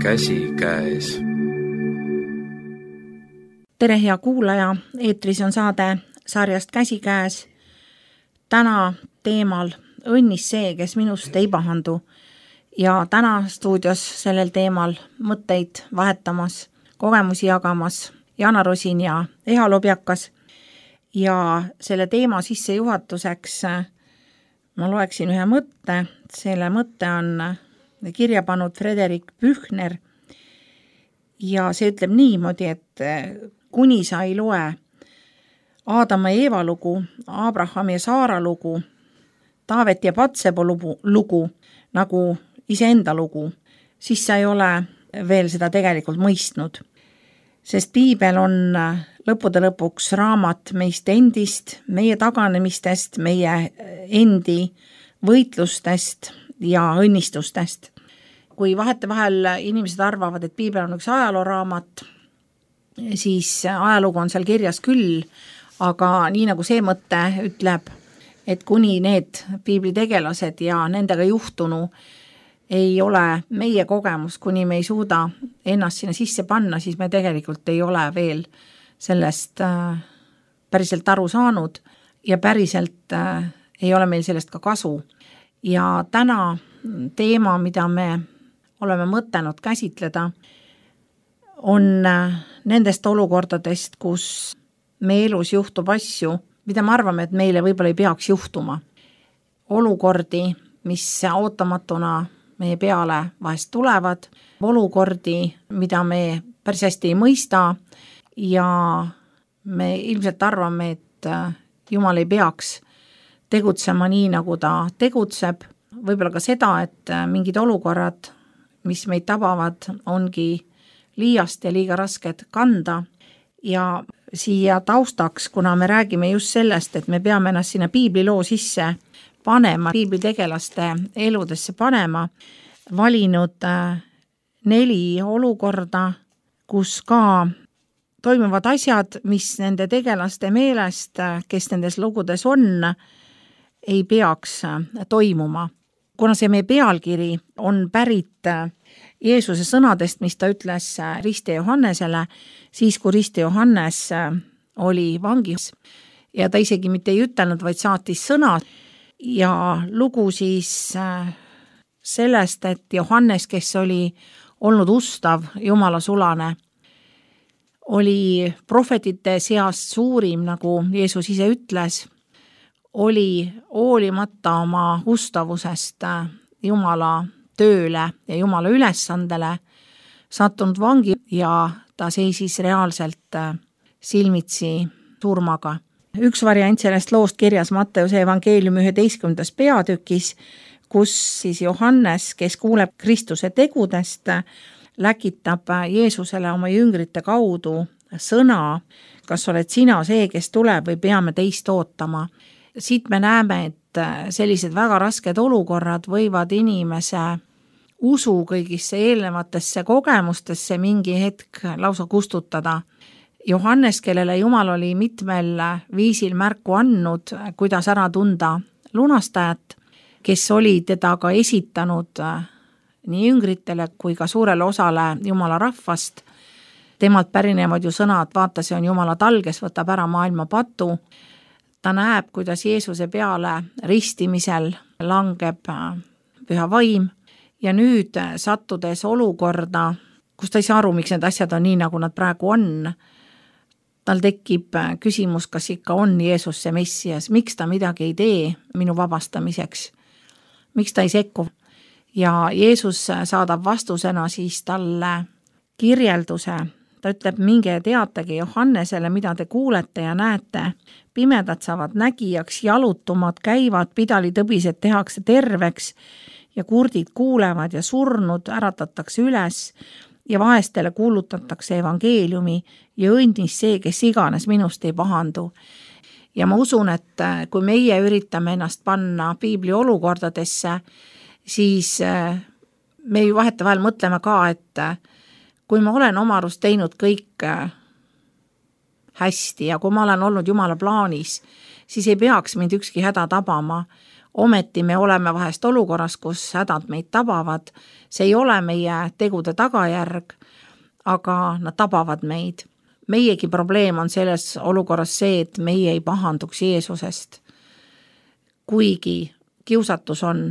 käsikäes. Tere, hea kuulaja, eetris on saade sarjast Käsikäes. Täna teemal õnnis see, kes minust ei pahandu. Ja täna stuudios sellel teemal mõtteid vahetamas, kogemusi jagamas Jana Rosin ja Eha Lobjakas. Ja selle teema sissejuhatuseks ma loeksin ühe mõtte. Selle mõtte on kirja pannud Frederik Büchner. Ja see ütleb niimoodi, et kuni sa ei loe Aadama ja Eeva lugu, Abraham ja Saara lugu, Taavet ja Patsebo lugu, nagu iseenda lugu, siis sa ei ole veel seda tegelikult mõistnud. Sest piibel on lõppude lõpuks raamat meist endist, meie taganemistest, meie endi võitlustest ja õnnistustest. Kui vahetevahel inimesed arvavad, et piibel on üks ajalooraamat, siis ajalugu on seal kirjas küll, aga nii nagu see mõte ütleb, et kuni need piibli tegelased ja nendega juhtunu ei ole meie kogemus, kuni me ei suuda ennast sinna sisse panna, siis me tegelikult ei ole veel sellest päriselt aru saanud ja päriselt ei ole meil sellest ka kasu. Ja täna teema, mida me oleme mõtelnud käsitleda, on nendest olukordadest, kus me elus juhtub asju, mida me arvame, et meile võib-olla ei peaks juhtuma. Olukordi, mis ootamatuna meie peale vahest tulevad, olukordi, mida me päris hästi ei mõista ja me ilmselt arvame, et Jumal ei peaks tegutsema nii, nagu ta tegutseb. Võib-olla ka seda, et mingid olukorrad, mis meid tabavad, ongi liiast ja liiga rasked kanda. Ja siia taustaks, kuna me räägime just sellest, et me peame ennast sinna piibliloo sisse panema, piiblitegelaste eludesse panema, valinud 4 olukorda, kus ka toimuvad asjad, mis nende tegelaste meelest, kes nendes lugudes on, ei peaks toimuma. Kuna see meie pealkiri on pärit Jeesuse sõnadest, mis ta ütles Riste Johannesele, siis kui Riste Johannes oli vangis ja ta isegi mitte ei ütelnud, vaid saatis sõnad ja lugu siis sellest, et Johannes, kes oli olnud ustav Jumala sulane, oli prohvetite seast suurim, nagu Jeesus ise ütles, oli hoolimata oma ustavusest Jumala tööle ja Jumala ülesandele sattunud vangi ja ta seisis reaalselt silmitsi surmaga. Üks variant sellest loost kirjas Matteuse evangeeliumi 11. peatükis, kus siis Johannes, kes kuuleb Kristuse tegudest, läkitab Jeesusele oma jüngrite kaudu sõna, kas oled sina see, kes tuleb või peame teist ootama. Siit me näeme, et sellised väga rasked olukorrad võivad inimese usu kõigisse eelnevatesse kogemustesse mingi hetk lausa kustutada. Johannes, kellele Jumal oli mitmel viisil märku andnud, kuidas ära tunda lunastajat, kes oli teda ka esitanud nii jüngritele kui ka suurele osale Jumala rahvast. Temalt pärinevad ju sõnad, vaata, see on Jumala tal, kes võtab ära maailma patu. Ta näeb, kuidas Jeesuse peale ristimisel langeb püha vaim ja nüüd sattudes olukorda, kus ta ei saa aru, miks need asjad on nii, nagu nad praegu on. Tal tekib küsimus, kas ikka on Jeesus see Messias, miks ta midagi ei tee minu vabastamiseks, miks ta ei sekku. Ja Jeesus saadab vastusena siis talle kirjelduse. Ta ütleb, minge teatage Johannesele, mida te kuulete ja näete. Pimedad saavad nägijaks, jalutumad käivad, pidalitõbised tehakse terveks ja kurdid kuulevad ja surnud äratatakse üles ja vaestele kuulutatakse evangeeliumi ja õnnis see, kes iganes minust ei pahandu. Ja ma usun, et kui meie üritame ennast panna piibli olukordadesse, siis me ju vahetevahel mõtleme ka, et kui ma olen oma arust teinud kõik hästi ja kui ma olen olnud Jumala plaanis, siis ei peaks mind ükski häda tabama. ometi me oleme vahest olukorras, kus hädad meid tabavad, see ei ole meie tegude tagajärg, aga nad tabavad meid. Meiegi probleem on selles olukorras see, et meie ei pahanduks Jeesusest. Kuigi kiusatus on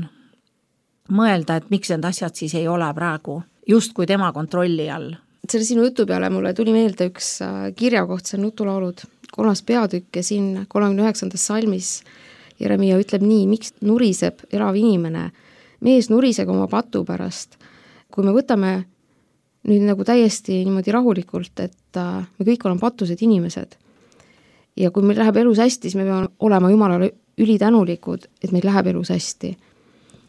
mõelda, et miks need asjad siis ei ole praegu justkui tema kontrolli all. Selle sinu jutu peale mulle tuli meelde üks kirjakoht, see on Nutulaulud 3. peatükk ja siin 39. salmis Jeremia ütleb nii, miks nuriseb elav inimene, mees nuriseb oma patu pärast. Kui me võtame nüüd nagu täiesti niimoodi rahulikult, et me kõik oleme patused inimesed ja kui meil läheb elus hästi, siis me peame olema Jumalale ülitänulikud, et meil läheb elus hästi.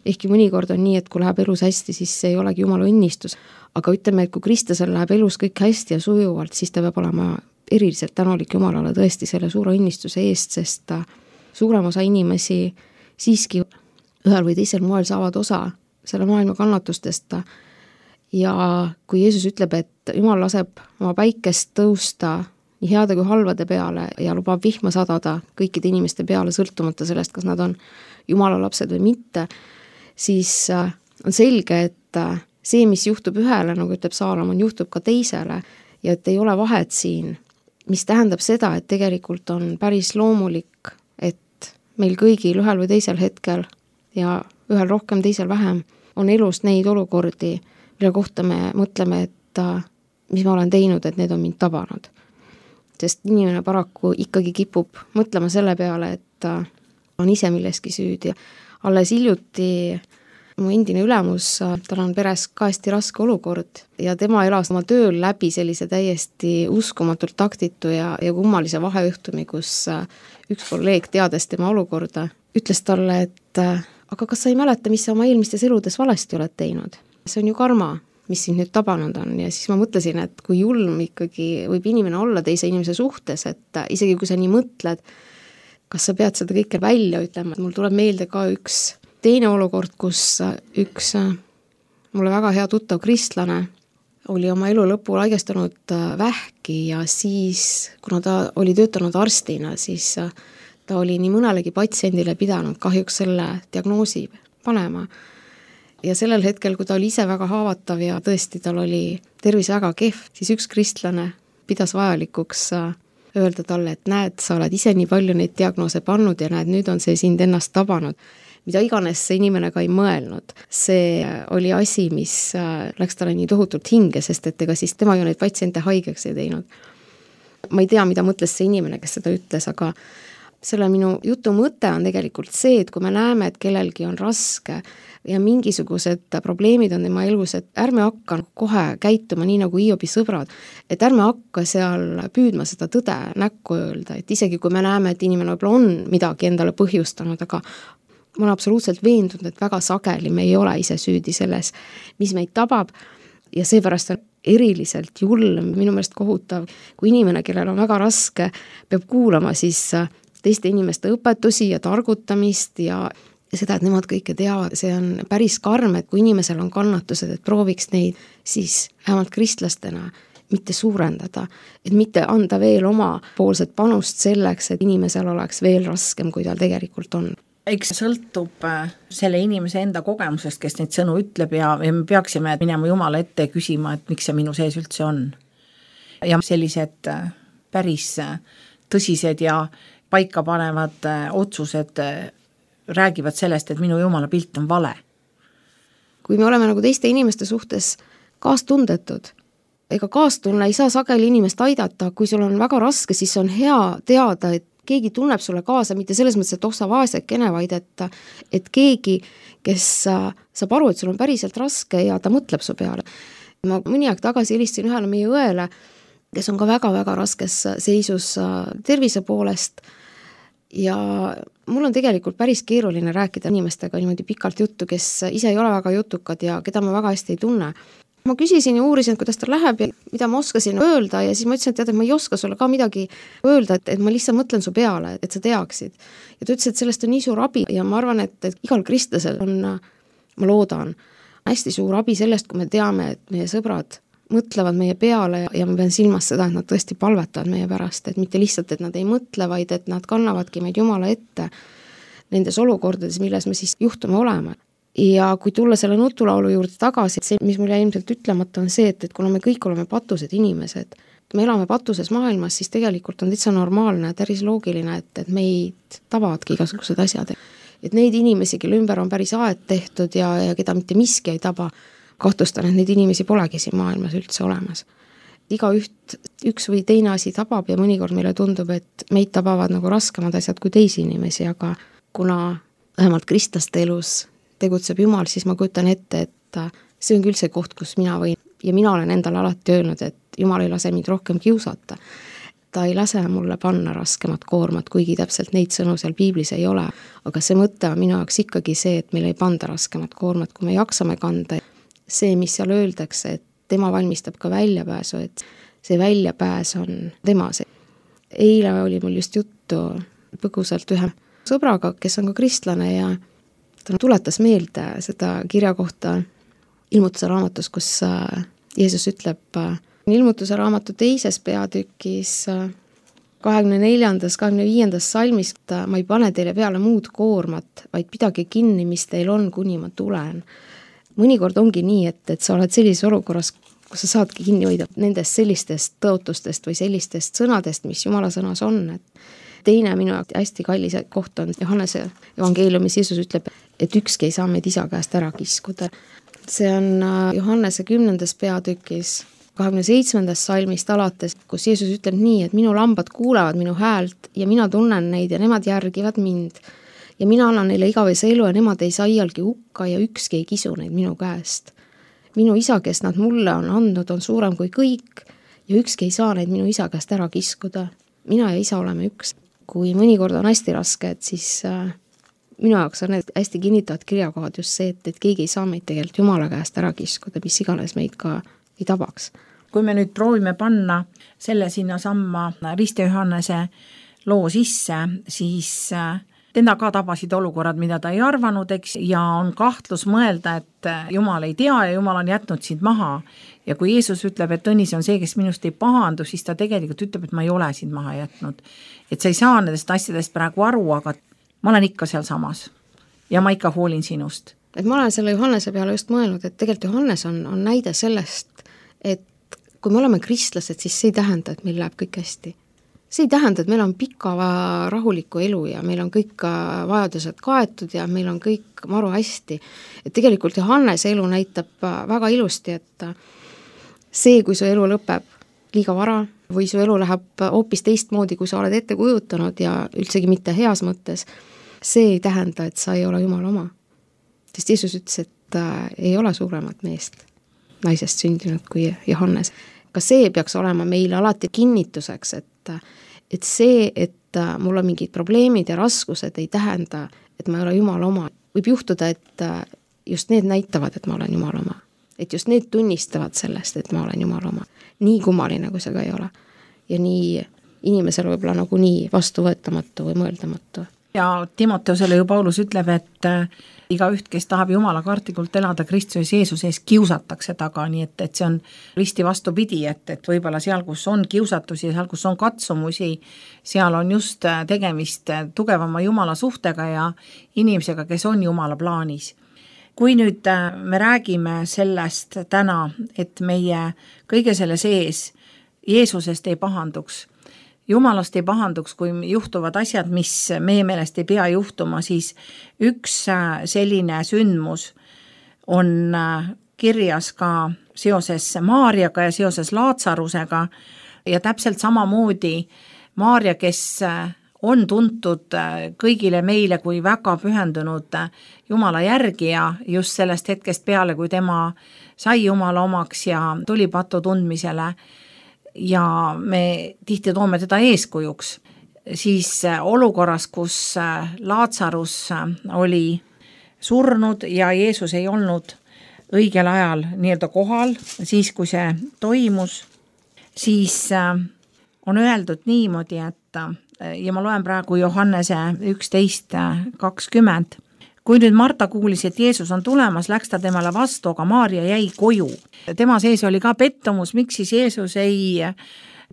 Ehkki mõnikord on nii, et kui läheb elus hästi, siis see ei olegi Jumala õnnistus, aga ütleme, et kui Kristusel läheb elus kõik hästi ja sujuvalt, siis ta peab olema eriliselt tänulik Jumalale tõesti selle suure õnnistuse eest, sest suurem osa inimesi siiski ühel või teisel moel saavad osa selle maailma kannatustest ja kui Jeesus ütleb, et Jumal laseb oma päikest tõusta nii heade kui halvade peale ja lubab vihma sadada kõikide inimeste peale, sõltumata sellest, kas nad on Jumala lapsed või mitte, siis on selge, et see, mis juhtub ühele, nagu ütleb Saalomon, juhtub ka teisele ja et ei ole vahet siin, mis tähendab seda, et tegelikult on päris loomulik, et meil kõigil ühel või teisel hetkel ja ühel rohkem, teisel vähem on elus neid olukordi, mille kohta me mõtleme, et mis ma olen teinud, et need on mind tabanud. Sest inimene paraku ikkagi kipub mõtlema selle peale, et on ise milleski süüdi. Alles hiljuti mu endine ülemus, tal on peres ka hästi raske olukord ja tema elas oma tööl läbi sellise täiesti uskumatult taktitu ja kummalise vahejuhtumi, kus üks kolleeg teades tema olukorda, ütles talle, et aga kas sa ei mäleta, mis sa oma eelmistes eludes valesti oled teinud? See on ju karma, mis sind nüüd tabanud on ja siis ma mõtlesin, et kui julm ikkagi võib inimene olla teise inimese suhtes, et isegi kui sa nii mõtled, kas sa pead seda kõike välja ütlema, et mul tuleb meelde ka üks teine olukord, kus üks mulle väga hea tuttav kristlane oli oma elu lõpul haigestunud vähki ja siis, kuna ta oli töötanud arstina, siis ta oli nii mõnelegi patsiendile pidanud kahjuks selle diagnoosi panema. Ja sellel hetkel, kui ta oli ise väga haavatav ja tõesti tal oli tervis väga kehv, siis üks kristlane pidas vajalikuks öelda talle, et näed, sa oled ise nii palju neid diagnoose pannud ja näed, nüüd on see sind ennast tabanud. Mida iganes see inimene ka ei mõelnud. See oli asi, mis läks talle nii tohutult hinge, sest et ega siis tema ju neid patsiente haigeks ei teinud. Ma ei tea, mida mõtles see inimene, kes seda ütles, aga selle minu jutu mõte on tegelikult see, et kui me näeme, et kellelgi on raske ja mingisugused probleemid on tema elus, et ärme hakka kohe käituma nii nagu Hiobi sõbrad, et ärme hakka seal püüdma seda tõde näkku öelda, et isegi kui me näeme, et inimene võib-olla on midagi endale põhjustanud, aga ma olen absoluutselt veendunud, et väga sageli me ei ole ise süüdi selles, mis meid tabab ja seepärast on eriliselt julm, minu meelest kohutav, kui inimene, kellel on väga raske, peab kuulama siis teiste inimeste õpetusi ja targutamist ja seda, et nemad kõike teavad, see on päris karm, et kui inimesel on kannatused, et prooviks neid siis vähemalt kristlastena mitte suurendada, et mitte anda veel oma poolset panust selleks, et inimesel oleks veel raskem, kui tal tegelikult on. Eks sõltub selle inimese enda kogemusest, kes neid sõnu ütleb ja me peaksime minema Jumala ette küsima, et miks see minu sees üldse on. Ja sellised päris tõsised ja paika panevad otsused räägivad sellest, et minu Jumala pilt on vale. Kui me oleme nagu teiste inimeste suhtes kaastundetud, ega kaastunne ei saa sageli inimest aidata, kui sul on väga raske, siis on hea teada, et keegi tunneb sulle kaasa, mitte selles mõttes, et sa vaesekene, vaid et keegi, kes saab aru, et sul on päriselt raske ja ta mõtleb su peale. Ma mõni aeg tagasi helistasin ühele meie õele, kes on ka väga-väga raskes seisus tervise poolest ja mul on tegelikult päris keeruline rääkida inimestega niimoodi pikalt juttu, kes ise ei ole väga jutukad ja keda ma väga hästi ei tunne. Ma küsisin ja uurisin, et kuidas tal läheb ja mida ma oskasin öelda ja siis ma ütlesin, et tead, et ma ei oska sulle ka midagi öelda, et ma lihtsalt mõtlen su peale, et sa teaksid. Ja ta ütles, et sellest on nii suur abi ja ma arvan, et igal kristlasel on, ma loodan, hästi suur abi sellest, kui me teame, et meie sõbrad mõtlevad meie peale ja ma pean silmas seda, et nad tõesti palvetavad meie pärast, et mitte lihtsalt, et nad ei mõtle, vaid et nad kannavadki meid Jumala ette. nendes olukordades, milles me siis juhtume olema. Ja kui tulla selle nutulaulu juurde tagasi, see, mis mul jäi ilmselt ütlemata, on see, et kuna me kõik oleme patused inimesed, me elame patuses maailmas, siis tegelikult on täitsa normaalne, päris loogiline, et meid tabavadki igasugused asjad. Et neid inimesi, kelle ümber on päris aed tehtud ja keda mitte miski ei taba, kahtlustan, et neid inimesi polegi siin maailmas üldse olemas. Üks või teine asi tabab ja mõnikord meile tundub, et meid tabavad nagu raskemad asjad kui teisi inimesi, aga kuna vähemalt kristlaste elus tegutseb Jumal, siis ma kujutan ette, et see on küll see koht, kus mina võin ja mina olen endale alati öelnud, et Jumal ei lase mind rohkem kiusata. Ta ei lase mulle panna raskemat koormat, kuigi täpselt neid sõnu seal piiblis ei ole, aga see mõte on minu jaoks ikkagi see, et meil ei panda raskemat koormat, kui me jaksame kanda. See, mis seal öeldakse, et tema valmistab ka väljapääsu, et see väljapääs on tema see. Eile oli mul just juttu põgusalt ühe sõbraga, kes on ka kristlane ja ta tuletas meelde seda kirja kohta Ilmutuse raamatus, kus Jeesus ütleb Ilmutuse raamatu 2. peatükis 24. 25. salmis, ma ei pane teile peale muud koormat, vaid pidage kinni, mis teil on, kuni ma tulen. Mõnikord ongi nii, et sa oled sellises olukorras, kus sa saadki kinni hoida nendest sellistest tõotustest või sellistest sõnadest, mis Jumala sõnas on. Teine minu hästi kallis koht on Johannese evangeeliumis, Jeesus ütleb, et ükski ei saa meid isa käest ära kiskuda. See on Johannese 10. peatükis 27. salmist alates, kus Jeesus ütleb nii, et minu lambad kuulevad minu häält ja mina tunnen neid ja nemad järgivad mind. Ja mina annan neile igavese elu ja nemad ei saa iialgi hukka ja ükski ei kisu neid minu käest. Minu isa, kes nad mulle on andnud, on suurem kui kõik ja ükski ei saa neid minu isa käest ära kiskuda. Mina ja isa oleme üks. Kui mõnikord on hästi raske, et siis minu jaoks on need hästi kinnitavad kirjakohad just see, et keegi ei saa meid tegelikult Jumala käest ära kiskuda, mis iganes meid ka ei tabaks. Kui me nüüd proovime panna selle sinna samma Risti Johannese loo sisse, siis teda ka tabasid olukorrad, mida ta ei arvanud, eks, ja on kahtlus mõelda, et Jumal ei tea ja Jumal on jätnud sind maha. Ja kui Jeesus ütleb, et õnnis on see, kes minust ei pahandu, siis ta tegelikult ütleb, et ma ei ole sind maha jätnud. Et sa ei saa nendest asjadest praegu aru, aga ma olen ikka seal samas ja ma ikka hoolin sinust. Et ma olen selle Johannese peale just mõelnud, et tegelikult Johannes on näide sellest, et kui me oleme kristlased, siis see ei tähenda, et meil läheb kõik hästi. See ei tähenda, et meil on pika rahuliku elu ja meil on kõik vajadused kaetud ja meil on kõik maru hästi. Et tegelikult Johannese elu näitab väga ilusti, et see, kui su elu lõpeb liiga vara või su elu läheb hoopis teistmoodi, kui sa oled ette kujutanud ja üldsegi mitte heas mõttes, see ei tähenda, et sa ei ole Jumala oma. Sest Jeesus ütles, et ei ole suuremat meest naisest sündinud kui Johannes. Ka see peaks olema meile alati kinnituseks, et see, et mul on mingid probleemid ja raskused ei tähenda, et ma ei ole Jumala oma. Võib juhtuda, et just need näitavad, et ma olen Jumala oma. Et just need tunnistavad sellest, et ma olen Jumala oma. Nii kummaline, kui see ka ei ole. Ja nii inimesel võib-olla nagu nii vastuvõetamatu või mõeldamatu. Ja Timoteusele ju Paulus ütleb, et igaüht, kes tahab Jumala kartlikult elada Kristuses Jeesuse ees, kiusatakse taga, nii et see on risti vastupidi, et võib-olla seal, kus on kiusatusi, seal, kus on katsumusi, seal on just tegemist tugevama Jumala suhtega ja inimesega, kes on Jumala plaanis. Kui nüüd me räägime sellest täna, et meie kõige selle sees Jeesusest ei pahanduks, Jumalast ei pahanduks, kui juhtuvad asjad, mis meie meelest ei pea juhtuma, siis üks selline sündmus on kirjas ka seoses Maarjaga ja seoses Laatsarusega ja täpselt samamoodi Maarja, kes on tuntud kõigile meile kui väga pühendunud Jumala järgija just sellest hetkest peale, kui tema sai Jumala omaks ja tuli patu tundmisele, ja me tihti toome teda eeskujuks, siis olukorras, kus Laatsarus oli surnud ja Jeesus ei olnud õigel ajal nii-öelda kohal, siis kui see toimus, siis on öeldud niimoodi, et ja ma loen praegu Johannese 11:20, Kui nüüd Marta kuulis, et Jeesus on tulemas, läks ta temale vastu, aga Maarja jäi koju. Tema sees oli ka pettumus, miks siis Jeesus ei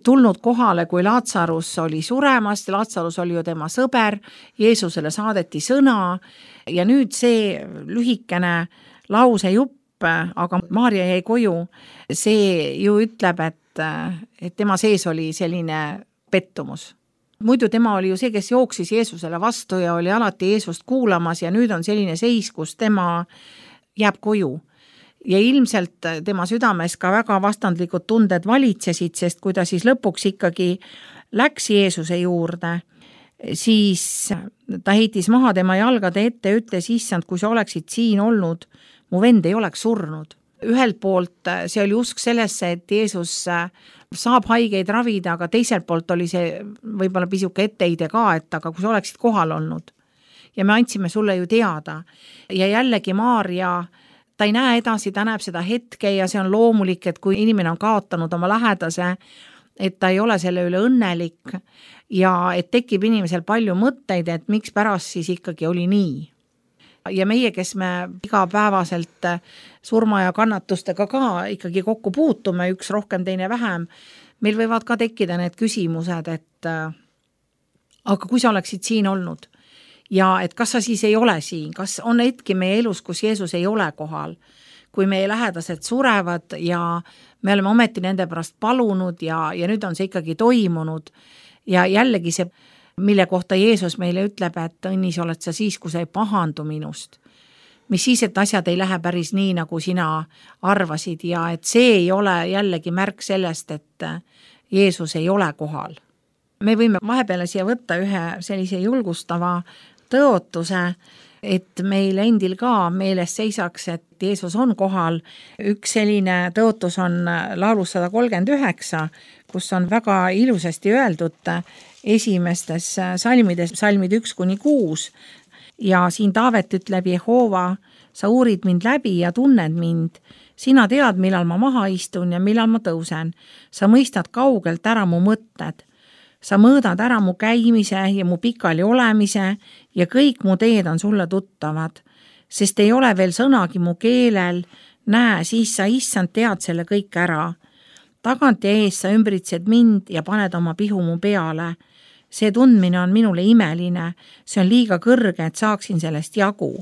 tulnud kohale, kui Laatsarus oli suremas, Laatsarus oli ju tema sõber, Jeesusele saadeti sõna ja nüüd see lühikene lausejupp, aga Maarja jäi koju, see ju ütleb, et tema sees oli selline pettumus. Muidu tema oli ju see, kes jooksis Jeesusele vastu ja oli alati Jeesust kuulamas ja nüüd on selline seis, kus tema jääb koju. Ja ilmselt tema südames ka väga vastandlikud tunded valitsesid, sest kui ta siis lõpuks ikkagi läks Jeesuse juurde, siis ta heitis maha tema jalgade ette ja ütles, issand, kui sa oleksid siin olnud, mu vend ei oleks surnud. Ühelt poolt see oli usk sellesse, et Jeesus saab haigeid ravida, aga teiselt poolt oli see võib-olla pisuke etteide ka, et aga kui sa oleksid kohal olnud ja me andsime sulle ju teada ja jällegi Maarja, ta ei näe edasi, ta näeb seda hetke ja see on loomulik, et kui inimene on kaotanud oma lähedase, et ta ei ole selle üle õnnelik ja et tekib inimesel palju mõtteid, et miks pärast siis ikkagi oli nii. Ja meie, kes me igapäevaselt surma ja kannatustega ka ikkagi kokku puutume, üks rohkem, teine vähem, meil võivad ka tekkida need küsimused, et aga kui sa oleksid siin olnud ja et kas sa siis ei ole siin, kas on hetki meie elus, kus Jeesus ei ole kohal, kui meie lähedased surevad ja me oleme ometi nende pärast palunud ja nüüd on see ikkagi toimunud ja jällegi see, mille kohta Jeesus meile ütleb, et õnnis oled sa siis, kui sa ei pahandu minust. Mis siis, et asjad ei lähe päris nii, nagu sina arvasid ja et see ei ole jällegi märk sellest, et Jeesus ei ole kohal. Me võime vahepeale siia võtta ühe sellise julgustava tõotuse, et meil endil ka meeles seisaks, et Jeesus on kohal. Üks selline tõotus on laulus 139, kus on väga ilusasti öeldud esimestes salmides, salmid 1-6 ja siin Taavet ütleb, Jehova, sa uurid mind läbi ja tunned mind. Sina tead, millal ma maha istun ja millal ma tõusen. Sa mõistad kaugelt ära mu mõtted. Sa mõõdad ära mu käimise ja mu pikali olemise ja kõik mu teed on sulle tuttavad. Sest ei ole veel sõnagi mu keelel. Näe, siis sa issand tead selle kõik ära. Tagant ja ees sa ümbritsed mind ja paned oma pihu mu peale. See tundmine on minule imeline, see on liiga kõrge, et saaksin sellest jagu.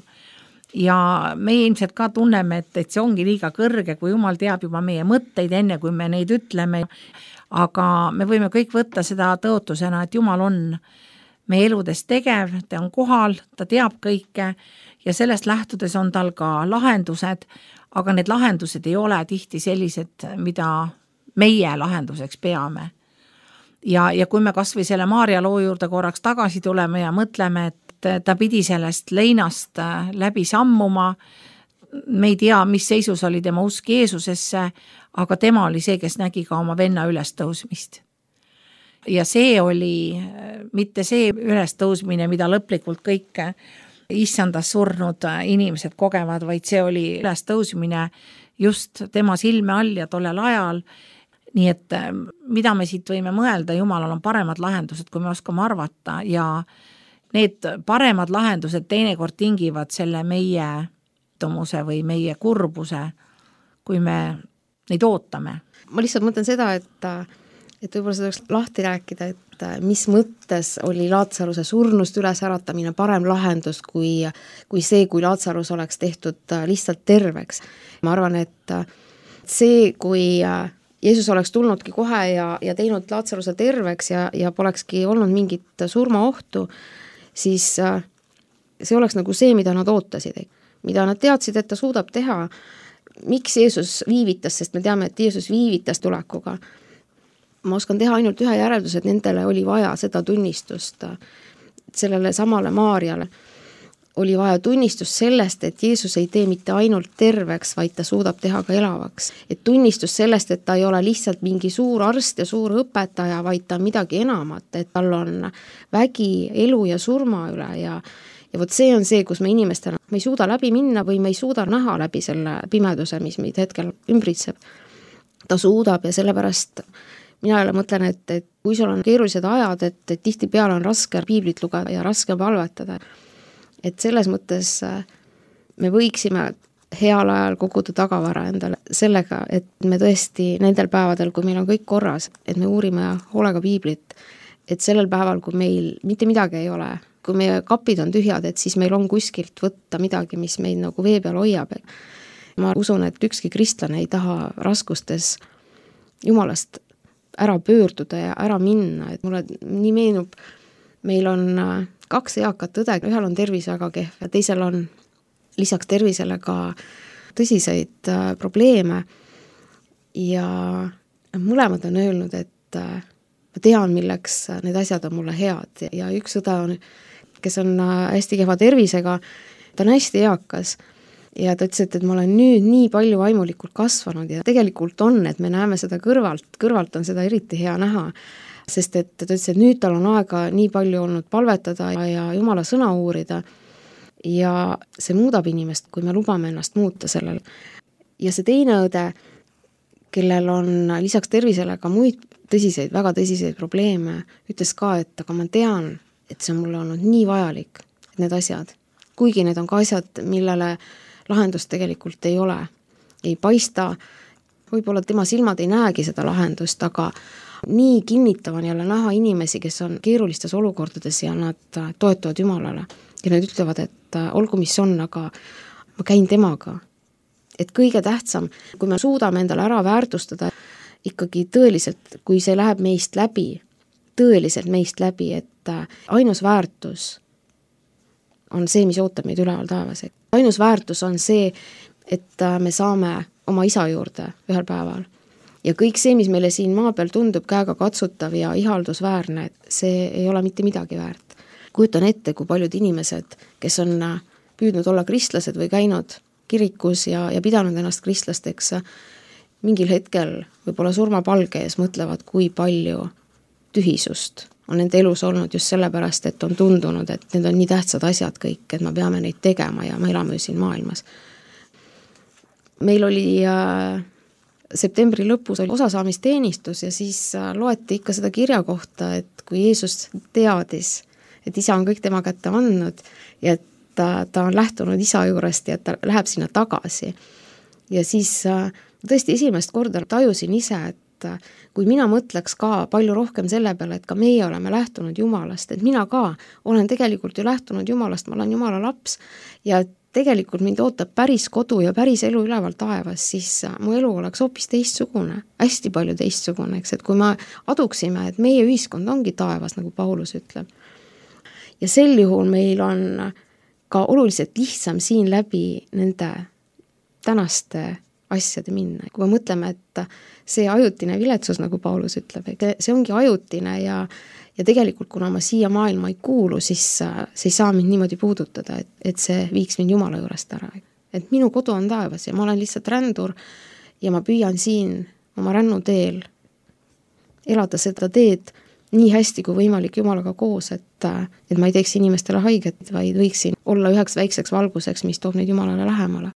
Ja meie ilmselt ka tunneme, et see ongi liiga kõrge, kui Jumal teab juba meie mõtteid enne, kui me neid ütleme. Aga me võime kõik võtta seda tõotusena, et Jumal on meie eludes tegev, ta on kohal, ta teab kõike ja sellest lähtudes on tal ka lahendused, aga need lahendused ei ole tihti sellised, mida meie lahenduseks peame. Ja kui me kas või selle Maarja loo juurde korraks tagasi tuleme ja mõtleme, et ta pidi sellest leinast läbi sammuma, me ei tea, mis seisus oli tema usk Jeesusesse, aga tema oli see, kes nägi ka oma venna ülestõusmist. Ja see oli mitte see ülestõusmine, mida lõplikult kõik issandas surnud inimesed kogevad, vaid see oli ülestõusmine just tema silme all ja tollel ajal. Nii et mida me siit võime mõelda, Jumalal on paremad lahendused, kui me oskame arvata ja need paremad lahendused teinekord tingivad selle meie tomuse või meie kurbuse, kui me neid ootame. Ma lihtsalt mõtlen seda, et võib-olla seda võiks lahti rääkida, et mis mõttes oli Laatsaruse surnust üles äratamine parem lahendus kui see, kui Laatsarus oleks tehtud lihtsalt terveks. Ma arvan, et see, kui Jeesus oleks tulnudki kohe ja teinud Laatsaruse terveks ja polekski olnud mingit surmaohtu, siis see oleks nagu see, mida nad ootasid. Mida nad teadsid, et ta suudab teha. Miks Jeesus viivitas, sest me teame, et Jeesus viivitas tulekuga. Ma oskan teha ainult ühe järelduse, et nendele oli vaja seda tunnistust. Sellele samale Maarjale oli vaja tunnistus sellest, et Jeesus ei tee mitte ainult terveks, vaid ta suudab teha ka elavaks. Et tunnistus sellest, et ta ei ole lihtsalt mingi suur arst ja suur õpetaja, vaid ta on midagi enamat, et tal on vägi elu ja surma üle ja vot see on see, kus me inimestena me ei suuda läbi minna või me ei suuda näha läbi selle pimeduse, mis meid hetkel ümbritseb. Ta suudab ja sellepärast mina jälle mõtlen, et kui sul on keerulised ajad, et tihti peale on raske piiblit lugeda ja raske palvetada, et selles mõttes me võiksime heal ajal koguda tagavara endale sellega, et me tõesti nendel päevadel, kui meil on kõik korras, et me uurime hoolega piiblit, et sellel päeval, kui meil mitte midagi ei ole, kui meie kapid on tühjad, et siis meil on kuskilt võtta midagi, mis meid nagu vee peal hoiab. Ma usun, et ükski kristlane ei taha raskustes Jumalast ära pöörduda ja ära minna, et mulle nii meenub, meil on 2 eakat õde, ühel on tervis väga kehv ja teisel on lisaks tervisele ka tõsiseid probleeme ja mõlemad on öelnud, et ma tean, milleks need asjad on mulle head ja üks õde on, kes on hästi kehva tervisega, ta on hästi eakas ja ta ütles, et ma olen nüüd nii palju vaimulikult kasvanud ja tegelikult on, et me näeme seda kõrvalt on seda eriti hea näha, sest et ta ütles, et nüüd tal on aega nii palju olnud palvetada ja Jumala sõna uurida ja see muudab inimest, kui me lubame ennast muuta sellel. Ja see teine õde, kellel on lisaks tervisele ka muid tõsiseid, väga tõsiseid probleeme, ütles ka, et aga ma tean, et see on mulle olnud nii vajalik, et need asjad, kuigi need on ka asjad, millele lahendust tegelikult ei ole, ei paista, võib-olla tema silmad ei näegi seda lahendust, aga nii kinnitav on jälle näha inimesi, kes on keerulistes olukordades ja nad toetuvad Jumalale ja nad ütlevad, et olgu mis on, aga ma käin temaga. Et kõige tähtsam, kui me suudame endale ära väärtustada ikkagi tõeliselt, kui see läheb meist läbi, tõeliselt meist läbi, et ainus väärtus on see, mis ootab meid üleval taevas. Ainus väärtus on see, et me saame oma isa juurde ühel päeval. Ja kõik see, mis meile siin maa peal tundub käega katsutav ja ihaldusväärne, see ei ole mitte midagi väärt. Kujutan ette, kui paljud inimesed, kes on püüdnud olla kristlased või käinud kirikus ja pidanud ennast kristlasteks, mingil hetkel võib-olla surmapalge ees mõtlevad, kui palju tühisust on nende elus olnud just sellepärast, et on tundunud, et need on nii tähtsad asjad kõik, et me peame neid tegema ja me elame siin maailmas. Meil oli septembri lõpus oli osasaamisteenistus ja siis loeti ikka seda kirja kohta, et kui Jeesus teadis, et isa on kõik tema kätte andnud ja et ta on lähtunud isa juurest ja ta läheb sinna tagasi. Ja siis tõesti esimest korda tajusin ise, et kui mina mõtleks ka palju rohkem selle peale, et ka meie oleme lähtunud Jumalast, et mina ka olen tegelikult ju lähtunud Jumalast, ma olen Jumala laps ja tegelikult mind ootab päris kodu ja päris elu üleval taevas, siis mu elu oleks hoopis teistsugune, hästi palju teistsugune, eks, et kui me aduksime, et meie ühiskond ongi taevas, nagu Paulus ütleb. Ja sel juhul meil on ka oluliselt lihtsam siin läbi nende tänaste asjade minna. Kui me mõtleme, et see ajutine viletsus, nagu Paulus ütleb, see ongi ajutine ja tegelikult, kuna ma siia maailma ei kuulu, siis see ei saa mind niimoodi puudutada, et see viiks mind Jumala juurest ära. Et minu kodu on taevas ja ma olen lihtsalt rändur ja ma püüan siin oma rännuteel elada seda teed nii hästi kui võimalik Jumalaga koos, et ma ei teeks inimestele haiget, vaid võiksin olla üheks väikseks valguseks, mis toob neid Jumalale lähemale.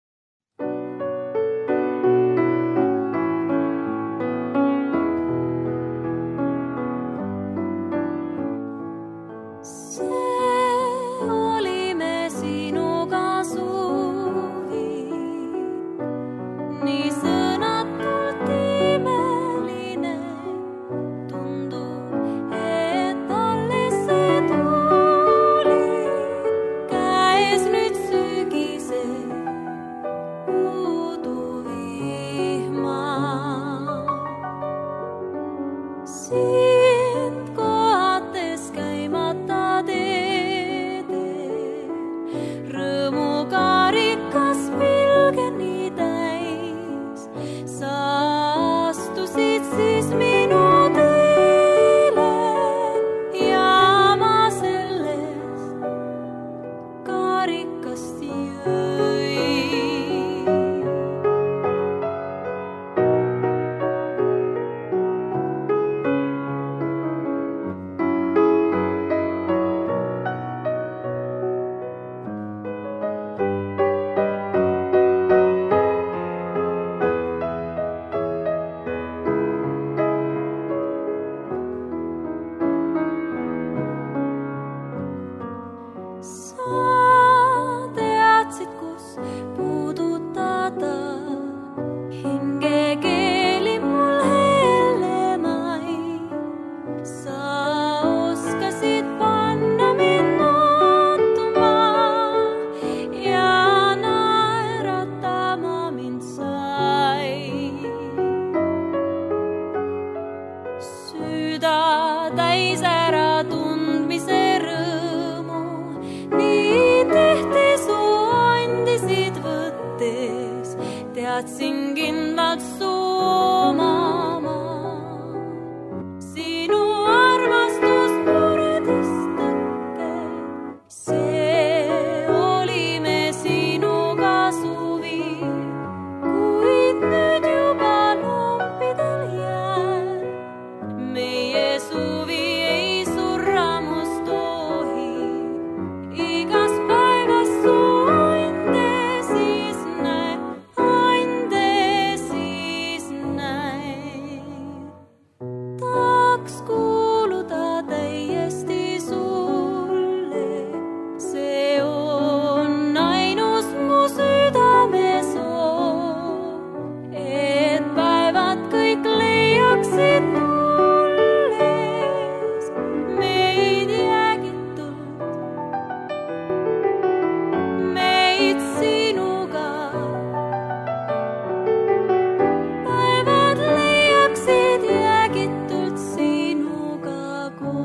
tahtsin kindlalt su omama. Sinu armastus muredest tõkke, see oli me sinuga suvi, kuid nüüd juba lompidel jääb. Meie suvi ei surramus tohi, igas päevas su ande siis näe, ande siis näe. Tahaks kuuluda täiesti sulle, see on ainus mu südame soov, et päevad kõik leiaksid tulles meid jäägitult, meid sinuga. Päevad leiaksid jäägitult sinuga koos.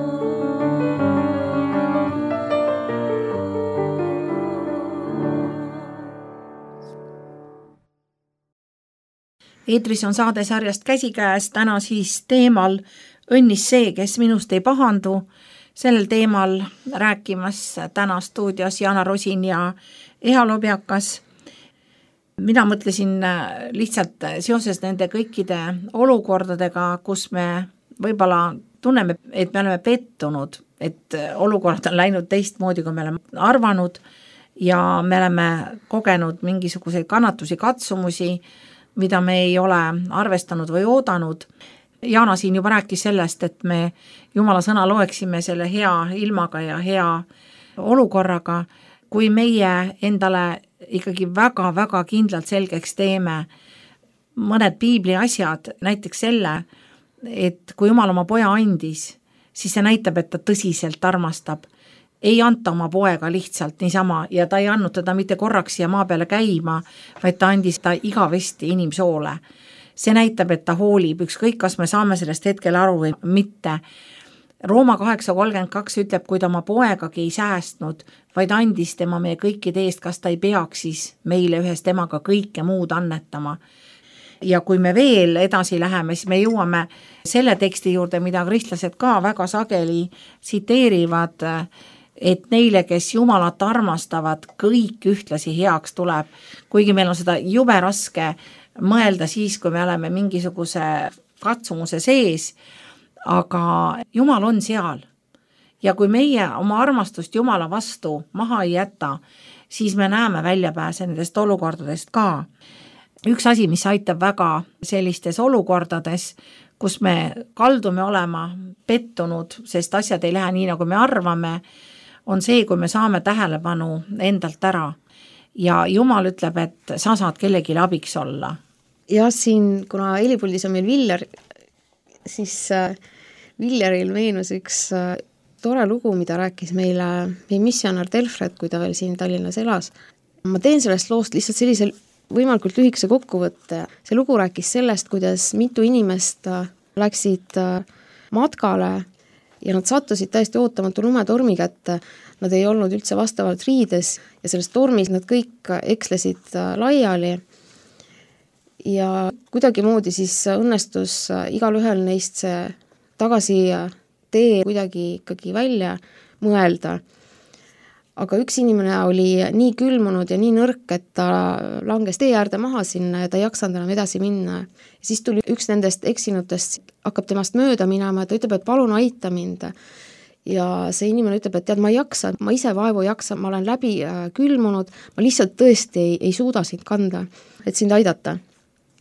Eetris on saade sarjast Käsikäes, täna siis teemal õnnis see, kes minust ei pahandu. Sellel teemal rääkimas täna stuudios Jana Rosin ja Eha Lobjakas. Mina mõtlesin lihtsalt seoses nende kõikide olukordadega, kus me võib-olla tunneme, et me oleme pettunud, et olukord on läinud teistmoodi, kui me oleme arvanud ja me oleme kogenud mingisuguseid kannatusi, katsumusi, mida me ei ole arvestanud või oodanud. Jana siin juba rääkis sellest, et me Jumala sõna loeksime selle hea ilmaga ja hea olukorraga, kui meie endale ikkagi väga-väga kindlalt selgeks teeme mõned piibli asjad, näiteks selle, et kui Jumal oma poja andis, siis see näitab, et ta tõsiselt armastab. Ei anta oma poega lihtsalt niisama ja ta ei andnud teda mitte korraks siia maa peale käima, vaid ta andis ta igavesti inimsoole. See näitab, et ta hoolib, ükskõik kas me saame sellest hetkel aru või mitte. Rooma 8:32 ütleb, kui ta oma poegagi ei säästnud, vaid andis tema meie kõikide eest, kas ta ei peaks siis meile ühes temaga kõike muud annetama. Ja kui me veel edasi läheme, siis me jõuame selle teksti juurde, mida kristlased ka väga sageli tsiteerivad, et neile, kes Jumalat armastavad, kõik ühtlasi heaks tuleb. Kuigi meil on seda jube raske mõelda siis, kui me oleme mingisuguse katsumuse sees, aga Jumal on seal. Ja kui meie oma armastust Jumala vastu maha ei jäta, siis me näeme väljapääse nendest olukordadest ka. Üks asi, mis aitab väga sellistes olukordades, kus me kaldume olema pettunud, sest asjad ei lähe nii, nagu me arvame, on see, kui me saame tähelepanu endalt ära. Ja Jumal ütleb, et sa saad kellelegi abiks olla. Ja siin, kuna helipuldis on meil Viljar, siis Viljaril meenus üks tore lugu, mida rääkis meile meie missionär Delfred, kui ta veel siin Tallinnas elas. Ma teen sellest loost lihtsalt sellisel võimalikult lühikese kokkuvõtte. See lugu rääkis sellest, kuidas mitu inimest läksid matkale ja nad sattusid täiesti ootamatu lumetormi kätte. Nad ei olnud üldse vastavalt riides ja selles tormis nad kõik ekslesid laiali. Ja kuidagi moodi siis õnnestus igal ühel neist see tagasi tee kuidagi ikkagi välja mõelda. Aga üks inimene oli nii külmunud ja nii nõrk, et ta langes tee äärde maha sinna ja ta ei jaksanud enam edasi minna. Ja siis tuli üks nendest eksinutest, hakkab temast mööda minema ja ta ütleb, et palun aita mind. Ja see inimene ütleb, et tead, ma ei jaksa, ma ise vaevu jaksa, ma olen läbi külmunud, ma lihtsalt tõesti ei suuda sind kanda, et sind aidata.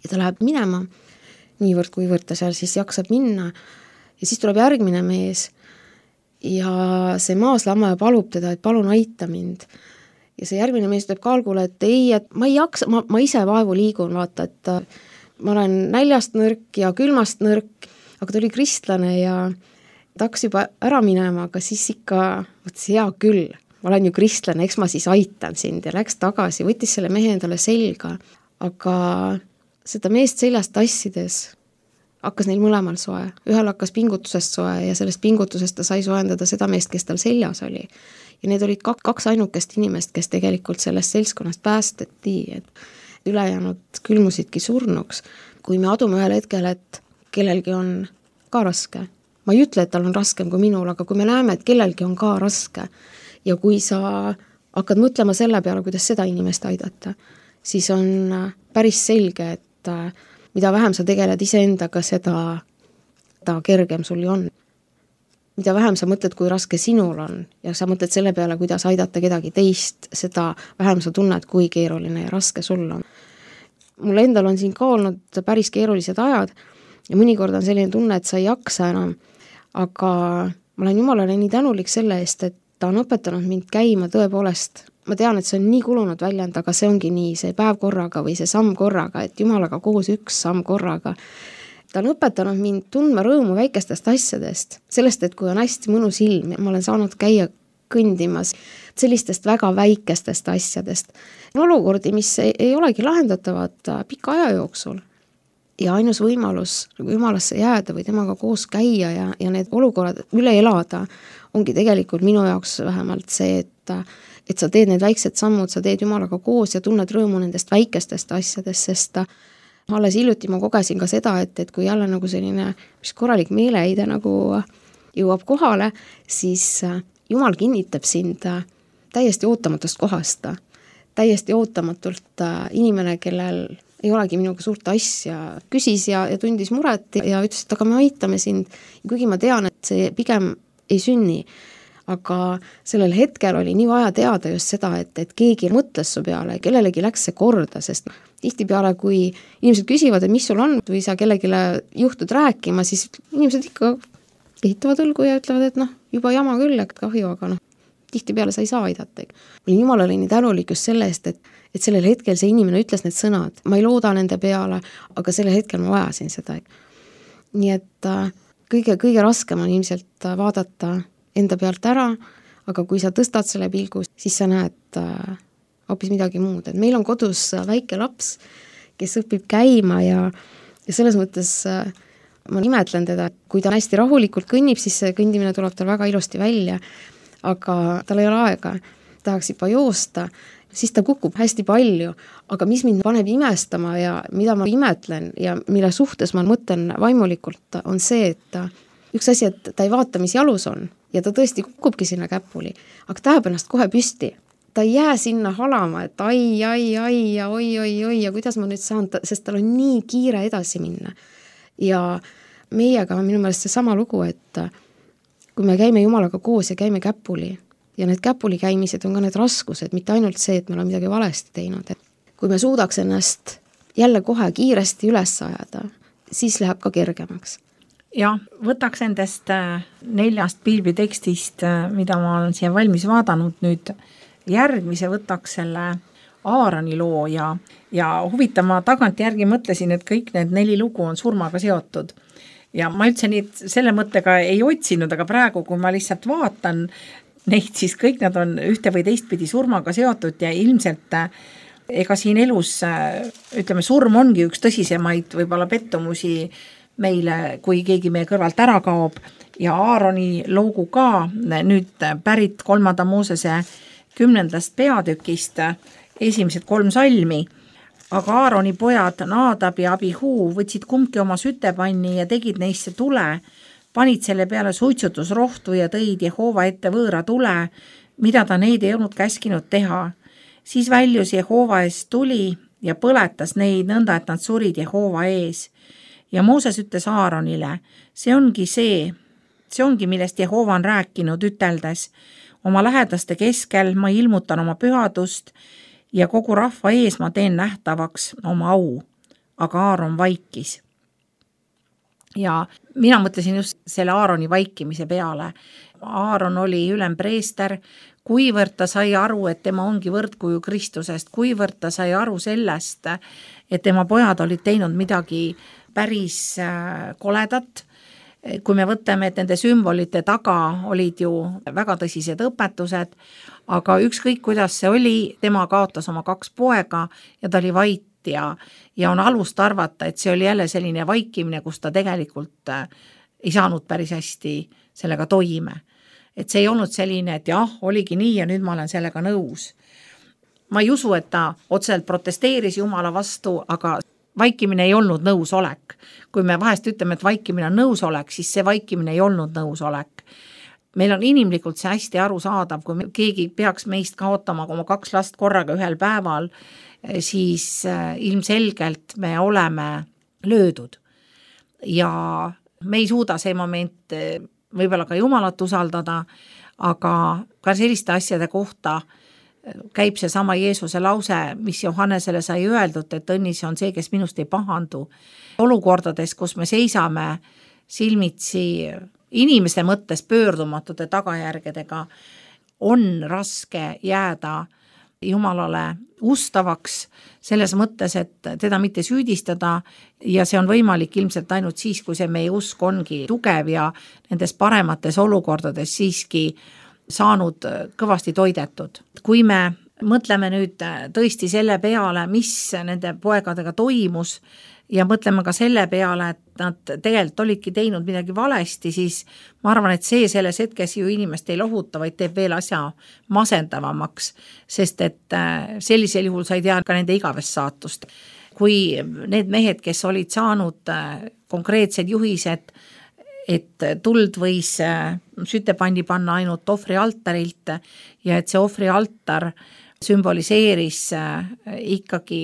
Ja ta läheb minema, niivõrd kuivõrd ta seal siis jaksab minna. Ja siis tuleb järgmine mees ja see maaslammaja palub teda, et palun aita mind. Ja see järgmine mees ütleb kaalgule, et ei, et ma ei jaksa, ma ise vaevu liigun, vaata, et ma olen näljast nõrk ja külmast nõrk, aga ta oli kristlane ja ta hakkas juba ära minema, aga siis ikka, võttes hea küll, ma olen ju kristlane, eks ma siis aitan sind ja läks tagasi, võttis selle mehe endale selga, aga seda meest seljast tassides hakkas neil mõlemal soe. Ühel hakkas pingutusest soe ja sellest pingutusest ta sai soendada seda meest, kes tal seljas oli. Ja need olid kaks ainukest inimest, kes tegelikult sellest seltskonnast päästeti. ülejäänud külmusidki surnuks. Kui me adume ühel hetkel, et kellelgi on ka raske, ma ei ütle, et tal on raskem kui minul, aga kui me näeme, et kellelgi on ka raske ja kui sa hakkad mõtlema selle peale, kuidas seda inimest aidata, siis on päris selge, et mida vähem sa tegeled iseendaga, seda kergem sul ju on. Mida vähem sa mõtled, kui raske sinul on ja sa mõtled selle peale, kuidas aidata kedagi teist, seda vähem sa tunned, kui keeruline ja raske sul on. Mul endal on siin ka olnud päris keerulised ajad ja mõnikord on selline tunne, et sa ei jaksa enam, aga ma olen Jumalale nii tänulik selle eest, et ta on õpetanud mind käima tõepoolest. Ma tean, et see on nii kulunud väljend, aga see ongi nii, see päev korraga või see samm korraga, et Jumalaga koos üks samm korraga. Ta on õpetanud mind tundma rõõmu väikestest asjadest, sellest, et kui on hästi mõnus ilm ja ma olen saanud käia kõndimas sellistest väga väikestest asjadest. Olukordi, mis ei olegi lahendatavad pika aja jooksul. Ja ainus võimalus nagu Jumalasse jääda või temaga koos käia ja need olukorrad üle elada ongi tegelikult minu jaoks vähemalt see, et sa teed need väiksed sammud, sa teed Jumalaga koos ja tunned rõõmu nendest väikestest asjadest, sest alles hiljuti ma kogesin ka seda, et kui jälle nagu selline korralik meeleheide nagu jõuab kohale, siis Jumal kinnitab sind täiesti ootamatust kohast. Täiesti ootamatult inimene, kellel ei olegi minuga suurt asja, küsis ja tundis muret ja ütles, et aga me aitame sind. Ja kuigi ma tean, et see pigem ei sünni, aga sellel hetkel oli nii vaja teada just seda, et keegi mõtles su peale, kellelegi läks see korda, sest tihtipeale, kui inimesed küsivad, et mis sul on või sa kellegile juhtud rääkima, siis inimesed ikka ehitavad õlgu ja ütlevad, et juba jama küll, et kahju, aga tihtipeale sa ei saa aidata. Olin Jumalale nii tänulik just selle eest, et sellel hetkel see inimene ütles need sõnad. Ma ei looda nende peale, aga sellel hetkel ma vajasin seda. Nii et kõige raskem on ilmselt vaadata enda pealt ära, aga kui sa tõstad selle pilgu, siis sa näed hoopis midagi muud. Et meil on kodus väike laps, kes õpib käima ja selles mõttes ma imetlen teda. Kui ta hästi rahulikult kõnnib, siis see kõndimine tuleb tal väga ilusti välja, aga tal ei ole aega, tahaks juba joosta, siis ta kukub hästi palju, aga mis mind paneb imestama ja mida ma imetlen ja mille suhtes ma mõtlen vaimulikult, on see, et üks asi, et ta ei vaata, mis jalus on ja ta tõesti kukubki sinna käpuli, aga ta jääb ennast kohe püsti. Ta ei jää sinna halama, et ai ja oi ja kuidas ma nüüd saan, sest tal on nii kiire edasi minna. Ja meiega on minu meelest see sama lugu, et kui me käime Jumalaga koos ja käime käpuli ja need käpuli käimised on ka need raskused, mitte ainult see, et me oleme midagi valesti teinud. Et kui me suudaks ennast jälle kohe kiiresti üles ajada, siis läheb ka kergemaks. Ja võtaks endast 4 piiblitekstist, mida ma olen siia valmis vaadanud nüüd, järgmise võtaks selle Aaroni loo ja huvitav, ma tagantjärgi mõtlesin, et kõik need 4 lugu on surmaga seotud. Ja ma üldse selle mõttega ei otsinud, aga praegu, kui ma lihtsalt vaatan neid, siis kõik nad on ühte või teistpidi surmaga seotud ja ilmselt ega siin elus, ütleme, surm ongi üks tõsisemaid võib-olla pettumusi meile, kui keegi meie kõrvalt ära kaob ja Aaroni loogu ka nüüd pärit 3. Moosese 10. peatükist esimesed 3 salmi, aga Aaroni pojad Naadab ja Abihuu võtsid kumbki oma sütepanni ja tegid neisse tule, panid selle peale suitsutusrohtu ja tõid Jehova ette võõra tule, mida ta neid ei olnud käskinud teha. Siis väljus Jehova eest tuli ja põletas neid nõnda, et nad surid Jehova ees. Ja Mooses ütles Aaronile, see ongi, millest Jehova on rääkinud üteldes. Oma lähedaste keskel ma ilmutan oma pühadust ja kogu rahva ees ma teen nähtavaks oma au. Aga Aaron vaikis. Ja mina mõtlesin just selle Aaroni vaikimise peale. Aaron oli ülempreester, kuivõrd ta sai aru, et tema ongi võrdkuju Kristusest, kuivõrd ta sai aru sellest, et tema pojad olid teinud midagi päris koledat. Kui me võtame, et nende sümbolite taga olid ju väga tõsised õpetused, aga ükskõik kuidas see oli, tema kaotas oma 2 poega ja ta oli vait ja on alust arvata, et see oli jälle selline vaikimine, kus ta tegelikult ei saanud päris hästi sellega toime. Et see ei olnud selline, et jah, oligi nii ja nüüd ma olen sellega nõus. ma ei usu, et ta otseselt protesteeris Jumala vastu, aga vaikimine ei olnud nõusolek. Kui me vahest ütleme, et vaikimine on nõusolek, siis see vaikimine ei olnud nõusolek. Meil on inimlikult see hästi arusaadav, kui keegi peaks meist kaotama oma 2 last korraga ühel päeval, siis ilmselgelt me oleme löödud. Ja me ei suuda see moment võib-olla ka Jumalat usaldada, aga ka selliste asjade kohta käib see sama Jeesuse lause, mis Johannesele sai öeldud, et õnnis on see, kes minust ei pahandu. Olukordades, kus me seisame silmitsi inimeste mõttes pöördumatute tagajärgedega, on raske jääda Jumalale ustavaks selles mõttes, et teda mitte süüdistada ja see on võimalik ilmselt ainult siis, kui see meie usk ongi tugev ja nendes paremates olukordades siiski saanud kõvasti toidetud. Kui me mõtleme nüüd tõesti selle peale, mis nende poegadega toimus ja mõtleme ka selle peale, et nad tegelikult olidki teinud midagi valesti, siis ma arvan, et see selles hetkes ju inimest ei lohuta, vaid teeb veel asja masendavamaks, sest et sellisel juhul sa ei tea ka nende igavest saatust. Kui need mehed, kes olid saanud konkreetsed juhised, et tuld võis sütepandi panna ainult ohvrialtarilt ja et see ohvrialtar sümboliseeris ikkagi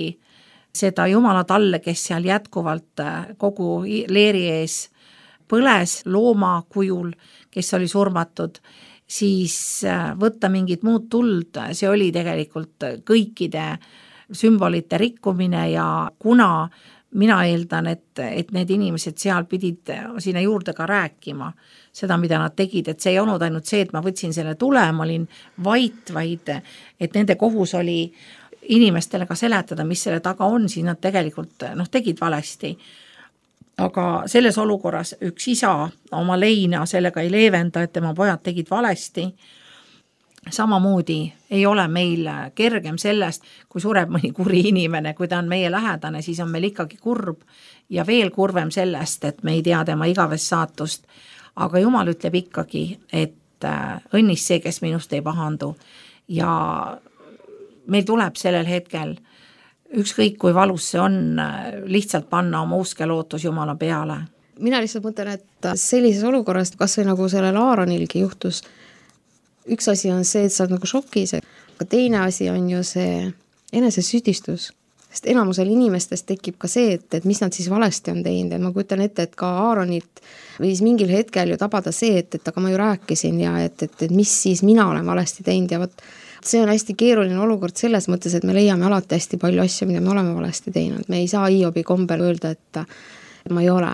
seda Jumala talle, kes seal jätkuvalt kogu leeri ees põles looma kujul, kes oli surmatud, siis võtta mingit muud tuld, see oli tegelikult kõikide sümbolite rikkumine ja kuna mina eeldan, et need inimesed seal pidid sinna juurde ka rääkima seda, mida nad tegid, et see ei olnud ainult see, et ma võtsin selle tule, ma olin vait, vaid et nende kohus oli inimestele ka seletada, mis selle taga on, siis nad tegelikult tegid valesti. Aga selles olukorras üks isa oma leina sellega ei leevenda, et tema pojad tegid valesti. Samamoodi ei ole meil kergem sellest, kui sureb mõni kuri inimene, kui ta on meie lähedane, siis on meil ikkagi kurb ja veel kurvem sellest, et me ei tea tema igavest saatust. Aga Jumal ütleb ikkagi, et õnnis see, kes minust ei pahandu ja meil tuleb sellel hetkel, ükskõik kui valus see on, lihtsalt panna oma usk ja lootus Jumala peale. Mina lihtsalt mõtlen, et sellises olukorras, kas või nagu sellel Aaronilgi juhtus, üks asi on see, et sa oled nagu šokis, aga teine asi on ju see enesesüüdistus. Sest enamusel inimestest tekib ka see, et mis nad siis valesti on teinud. Ma kujutan ette, et ka Aaronit võis mingil hetkel ju tabada see, et aga ma ju rääkisin ja et mis siis mina olen valesti teinud ja võt see on hästi keeruline olukord selles mõttes, et me leiame alati hästi palju asju, mida me oleme valesti teinud. Me ei saa Hiobi kombel öelda, et ma ei ole.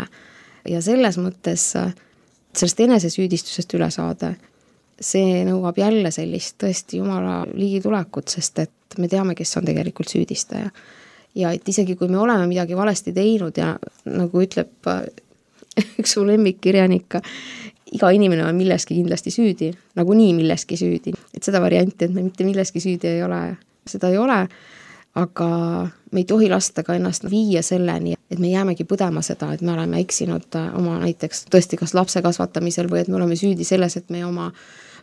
Ja selles mõttes sellest enesesüüdistusest üle saada, see nõuab jälle sellist tõesti Jumala ligitulekut, sest et me teame, kes on tegelikult süüdistaja. Ja et isegi kui me oleme midagi valesti teinud ja nagu ütleb üks su lemmikkirjanik, iga inimene on milleski kindlasti süüdi, nagu nii milleski süüdi. Et seda varianti, et me mitte milleski süüdi ei ole, seda ei ole, aga me ei tohi lasta ka ennast viia selleni, et me jäämegi põdema seda, et me oleme eksinud oma näiteks tõesti kas lapse kasvatamisel või et me oleme süüdi selles, et me oma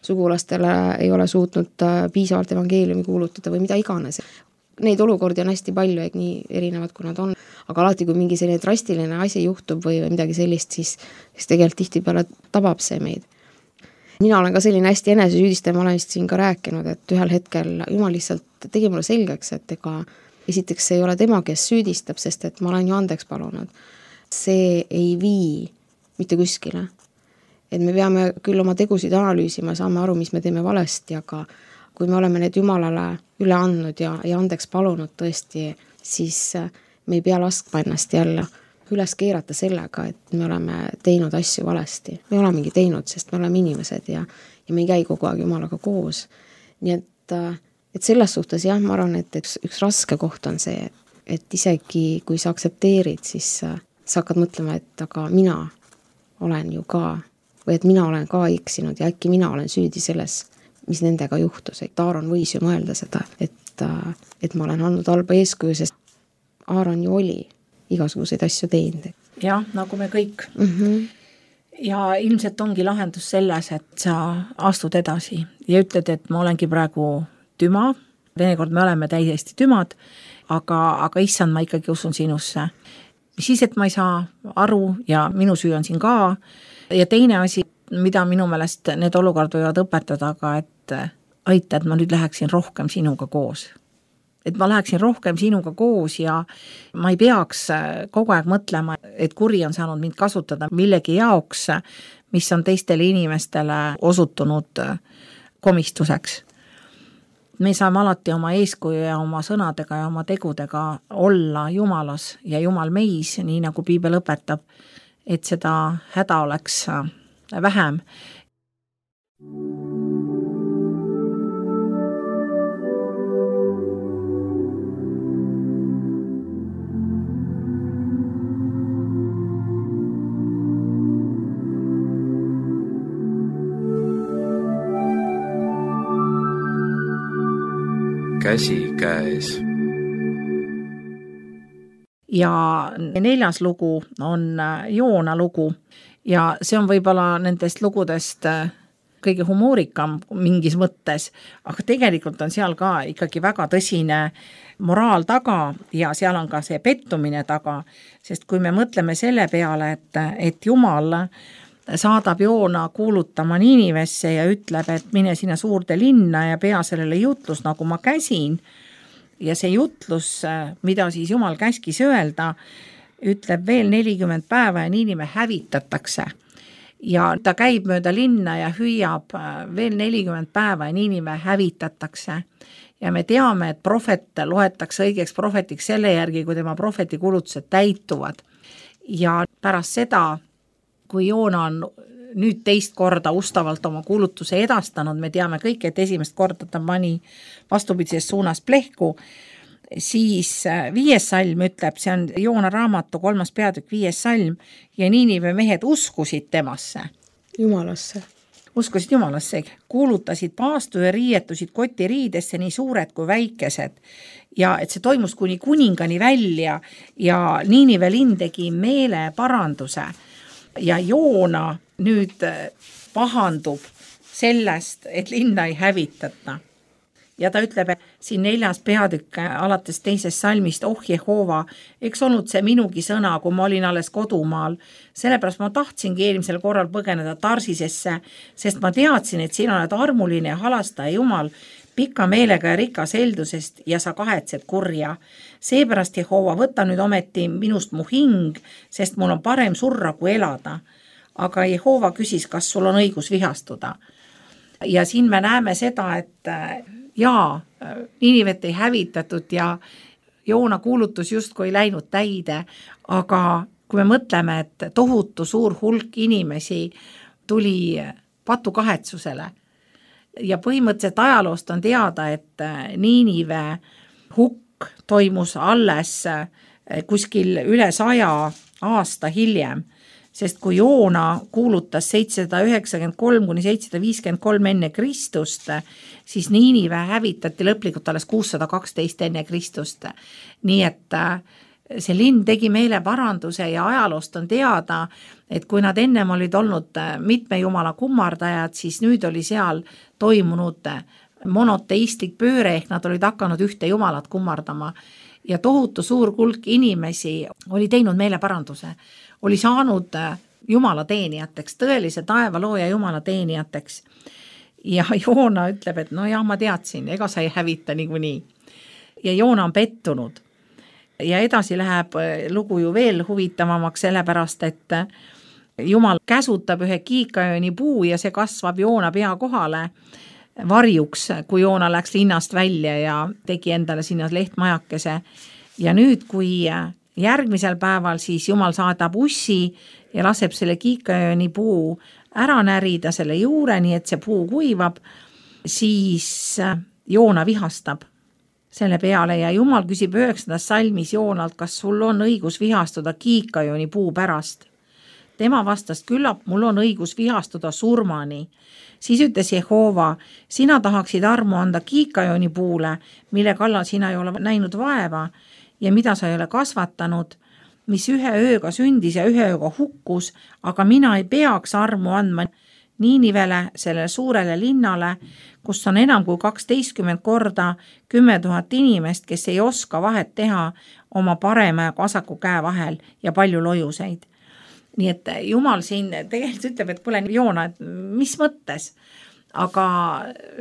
sugulastele ei ole suutnud piisavalt evangeeliumi kuulutada või mida iganes. Neid olukordi on hästi palju, nii erinevad kui nad on, aga alati kui mingi selline drastiline asi juhtub või midagi sellist, siis tegelikult tihtipeale tabab see meid. Mina olen ka selline hästi enesesüüdistaja, ma olen vist siin ka rääkinud, et ühel hetkel Jumal lihtsalt tegi mulle selgeks, et ega esiteks see ei ole tema, kes süüdistab, sest et ma olen ju andeks palunud. See ei vii mitte kuskile. Et me peame küll oma tegusid analüüsima, saame aru, mis me teeme valesti, aga kui me oleme need Jumalale üle andnud ja andeks palunud tõesti, siis me ei pea laskma ennast jälle üles keerata sellega, et me oleme teinud asju valesti. Me olemegi teinud, sest me oleme inimesed ja me ei käi kogu aeg Jumalaga koos. Nii et selles suhtes jah, ma arvan, et üks raske koht on see, et isegi kui sa aksepteerid, siis sa hakkad mõtlema, et aga mina olen ju ka, või et mina olen ka eksinud ja äkki mina olen süüdi selles, mis nendega juhtus. Et Aaron võis ju mõelda seda, et ma olen andnud halba eeskuju, sest Aaron ju oli igasuguseid asju teinud. Jah, nagu me kõik. Ja ilmselt ongi lahendus selles, et sa astud edasi ja ütled, et ma olengi praegu tüma, teinekord me oleme täiesti tümad, aga issand, ma ikkagi usun sinusse. Siis, et ma ei saa aru ja minu süü on siin ka. Ja teine asi, mida minu meelest need olukord võivad õpetada, aga et aita, et ma nüüd läheksin rohkem sinuga koos. Et ma läheksin rohkem sinuga koos ja ma ei peaks kogu aeg mõtlema, et kuri on saanud mind kasutada millegi jaoks, mis on teistele inimestele osutunud komistuseks. Me saame alati oma eeskuju ja oma sõnadega ja oma tegudega olla Jumalas ja Jumal meis, nii nagu Piibel õpetab, et seda häda oleks vähem. Käsikäes. Ja 4. lugu on Joona lugu ja see on võib-olla nendest lugudest kõige humoorikam mingis mõttes, aga tegelikult on seal ka ikkagi väga tõsine moraal taga ja seal on ka see pettumine taga, sest kui me mõtleme selle peale, et Jumal saadab Joona kuulutama Niinivesse ja ütleb, et mine sinna suurde linna ja pea sellele jutlus, nagu ma käsin. Ja see jutlus, mida siis Jumal käskis öelda, ütleb veel 40 päeva ja Niinive hävitatakse. Ja ta käib mööda linna ja hüüab veel 40 päeva ja Niinive hävitatakse. Ja me teame, et prohvet loetakse õigeks prohvetiks selle järgi, kui tema prohveti kulutused täituvad. Ja pärast seda, kui Joona on nüüd teist korda ustavalt oma kuulutuse edastanud, me teame kõik, et esimest korda ta pani vastupidises suunas plehku, siis 5. salm ütleb, see on Joona raamatu 3. peatükk 5. salm, ja Niinive mehed uskusid temasse. Jumalasse. Uskusid Jumalasse, kuulutasid paastu ja riietusid kotiriidesse nii suured kui väikesed. Ja et see toimus kuni kuningani välja ja Niinive linn tegi meeleparanduse. Ja Joona nüüd pahandub sellest, et linna ei hävitata. Ja ta ütleb siin 4. peatükk alates 2. salmist, Jehova, eks olnud see minugi sõna, kui ma olin alles kodumaal. Sellepärast ma tahtsingi eelmisel korral põgeneda Tarsisesse, sest ma teadsin, et sina oled armuline ja halastaja Jumal, pika meelega ja rikas heldusest ja sa kahetsed kurja. Seepärast, Jehova, võta nüüd ometi minust mu hing, sest mul on parem surra kui elada. Aga Jehova küsis, kas sul on õigus vihastuda. Ja siin me näeme seda, et Niinivet ei hävitatud ja Joona kuulutus justkui ei läinud täide, aga kui me mõtleme, et tohutu suur hulk inimesi tuli patukahetsusele, ja põhimõtteliselt ajaloost on teada, et Niinive hukk toimus alles kuskil üle 100 aasta hiljem, sest kui Joona kuulutas 793 kuni 753 enne Kristust, siis Niinive hävitati lõplikult alles 612 enne Kristust. Nii et see linn tegi meeleparanduse ja ajaloost on teada, et kui nad ennem olid olnud mitme jumala kummardajad, siis nüüd oli seal toimunud monoteistlik pööre, ehk nad olid hakanud ühte jumalat kummardama. Ja tohutu suur hulk inimesi oli teinud meeleparanduse, oli saanud jumala teenijateks, tõelise taevalooja jumala teenijateks. Ja Joona ütleb, et no jah, ma teadsin, ega sa ei hävita niikuinii. Ja Joona on pettunud. Ja edasi läheb lugu ju veel huvitavamaks sellepärast, et Jumal käsutab ühe kiikajööni puu ja see kasvab Joona pea kohale varjuks, kui Joona läks linnast välja ja tegi endale sinna lehtmajakese. Ja nüüd, kui järgmisel päeval siis Jumal saadab ussi ja laseb selle kiikajööni puu ära närida selle juure, nii et see puu kuivab, siis Joona vihastab selle peale ja Jumal küsib 9. salmis Joonalt, kas sul on õigus vihastuda kiikajööni puu pärast. Tema vastas, küllap mul on õigus vihastuda surmani. Siis ütles Jehova, sina tahaksid armu anda kiikajööni puule, mille kallal sina ei ole näinud vaeva ja mida sa ei ole kasvatanud, mis ühe ööga sündis ja ühe ööga hukkus, aga mina ei peaks armu andma Niinivele, sellele suurele linnale, kus on enam kui 12 korda 10 000 inimest, kes ei oska vahet teha oma parema ja vasaku käe vahel ja palju lojuseid. Nii et Jumal siin tegelikult ütleb, et kuule Joona, et mis mõttes, aga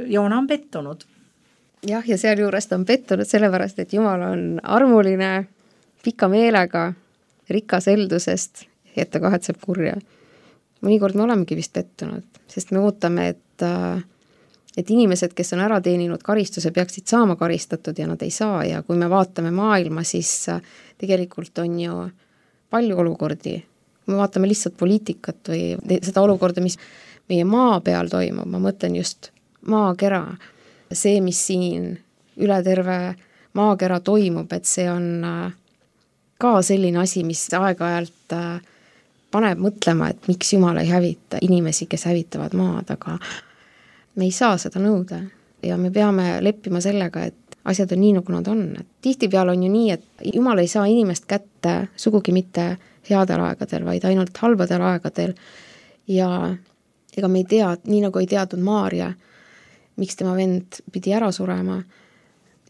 Joona on pettunud. Jah, ja sealjuures ta on pettunud sellepärast, et Jumal on armuline, pika meelega, rikas heldusest, et ta kahetseb kurja. Mõnikord me olemegi vist pettunud, sest me ootame, et inimesed, kes on ära teeninud karistuse, peaksid saama karistatud ja nad ei saa. Ja kui me vaatame maailma, siis tegelikult on ju palju olukordi. Kui me vaatame lihtsalt poliitikat või seda olukorda, mis meie maa peal toimub, ma mõtlen just maakera, see, mis siin üle terve maakera toimub, et see on ka selline asi, mis aeg-ajalt paneb mõtlema, et miks Jumal ei hävita inimesi, kes hävitavad maad, aga me ei saa seda nõuda ja me peame leppima sellega, et asjad on nii, nagu nad on. Tihtipeale on ju nii, et Jumal ei saa inimest kätte sugugi mitte headel aegadel, vaid ainult halbadel aegadel ja ega me ei tea, nii nagu ei teadnud Maarja, miks tema vend pidi ära surema,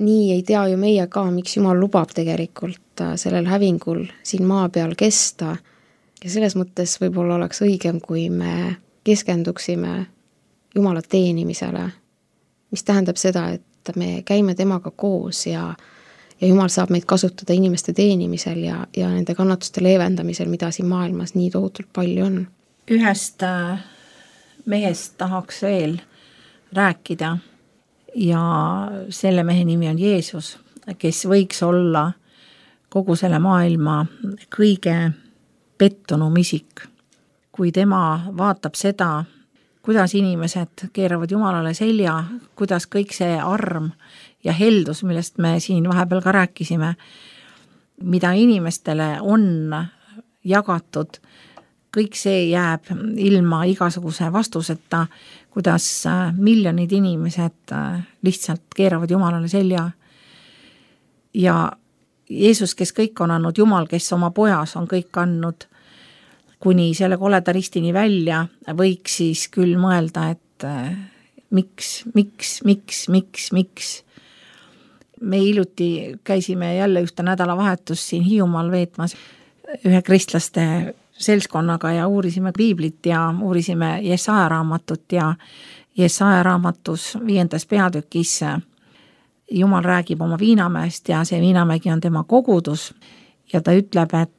nii ei tea ju meie ka, miks Jumal lubab tegelikult sellel hävingul siin maa peal kesta ja selles mõttes võib-olla oleks õigem, kui me keskenduksime Jumala teenimisele, mis tähendab seda, et me käime temaga koos ja Jumal saab meid kasutada inimeste teenimisel ja nende kannatuste leevendamisel, mida siin maailmas nii tohutult palju on. Ühest mehest tahaks veel rääkida ja selle mehe nimi on Jeesus, kes võiks olla kogu selle maailma kõige pettunum isik. Kui tema vaatab seda, kuidas inimesed keeravad Jumalale selja, kuidas kõik see arm ja heldus, millest me siin vahepeal ka rääkisime, mida inimestele on jagatud, kõik see jääb ilma igasuguse vastuseta, kuidas miljonid inimesed lihtsalt keeravad Jumalale selja. Ja Jeesus, kes kõik on andnud, Jumal, kes oma pojas on kõik andnud, kuni selle koleda ristini välja, võiks siis küll mõelda, et miks. Me hiljuti käisime jälle ühte nädalavahetus siin Hiiumaal veetmas ühe kristlaste seltskonnaga ja uurisime piiblit ja uurisime Jesaja raamatut ja Jesaja raamatus 5. peatükis Jumal räägib oma Viinamäest ja see Viinamägi on tema kogudus ja ta ütleb, et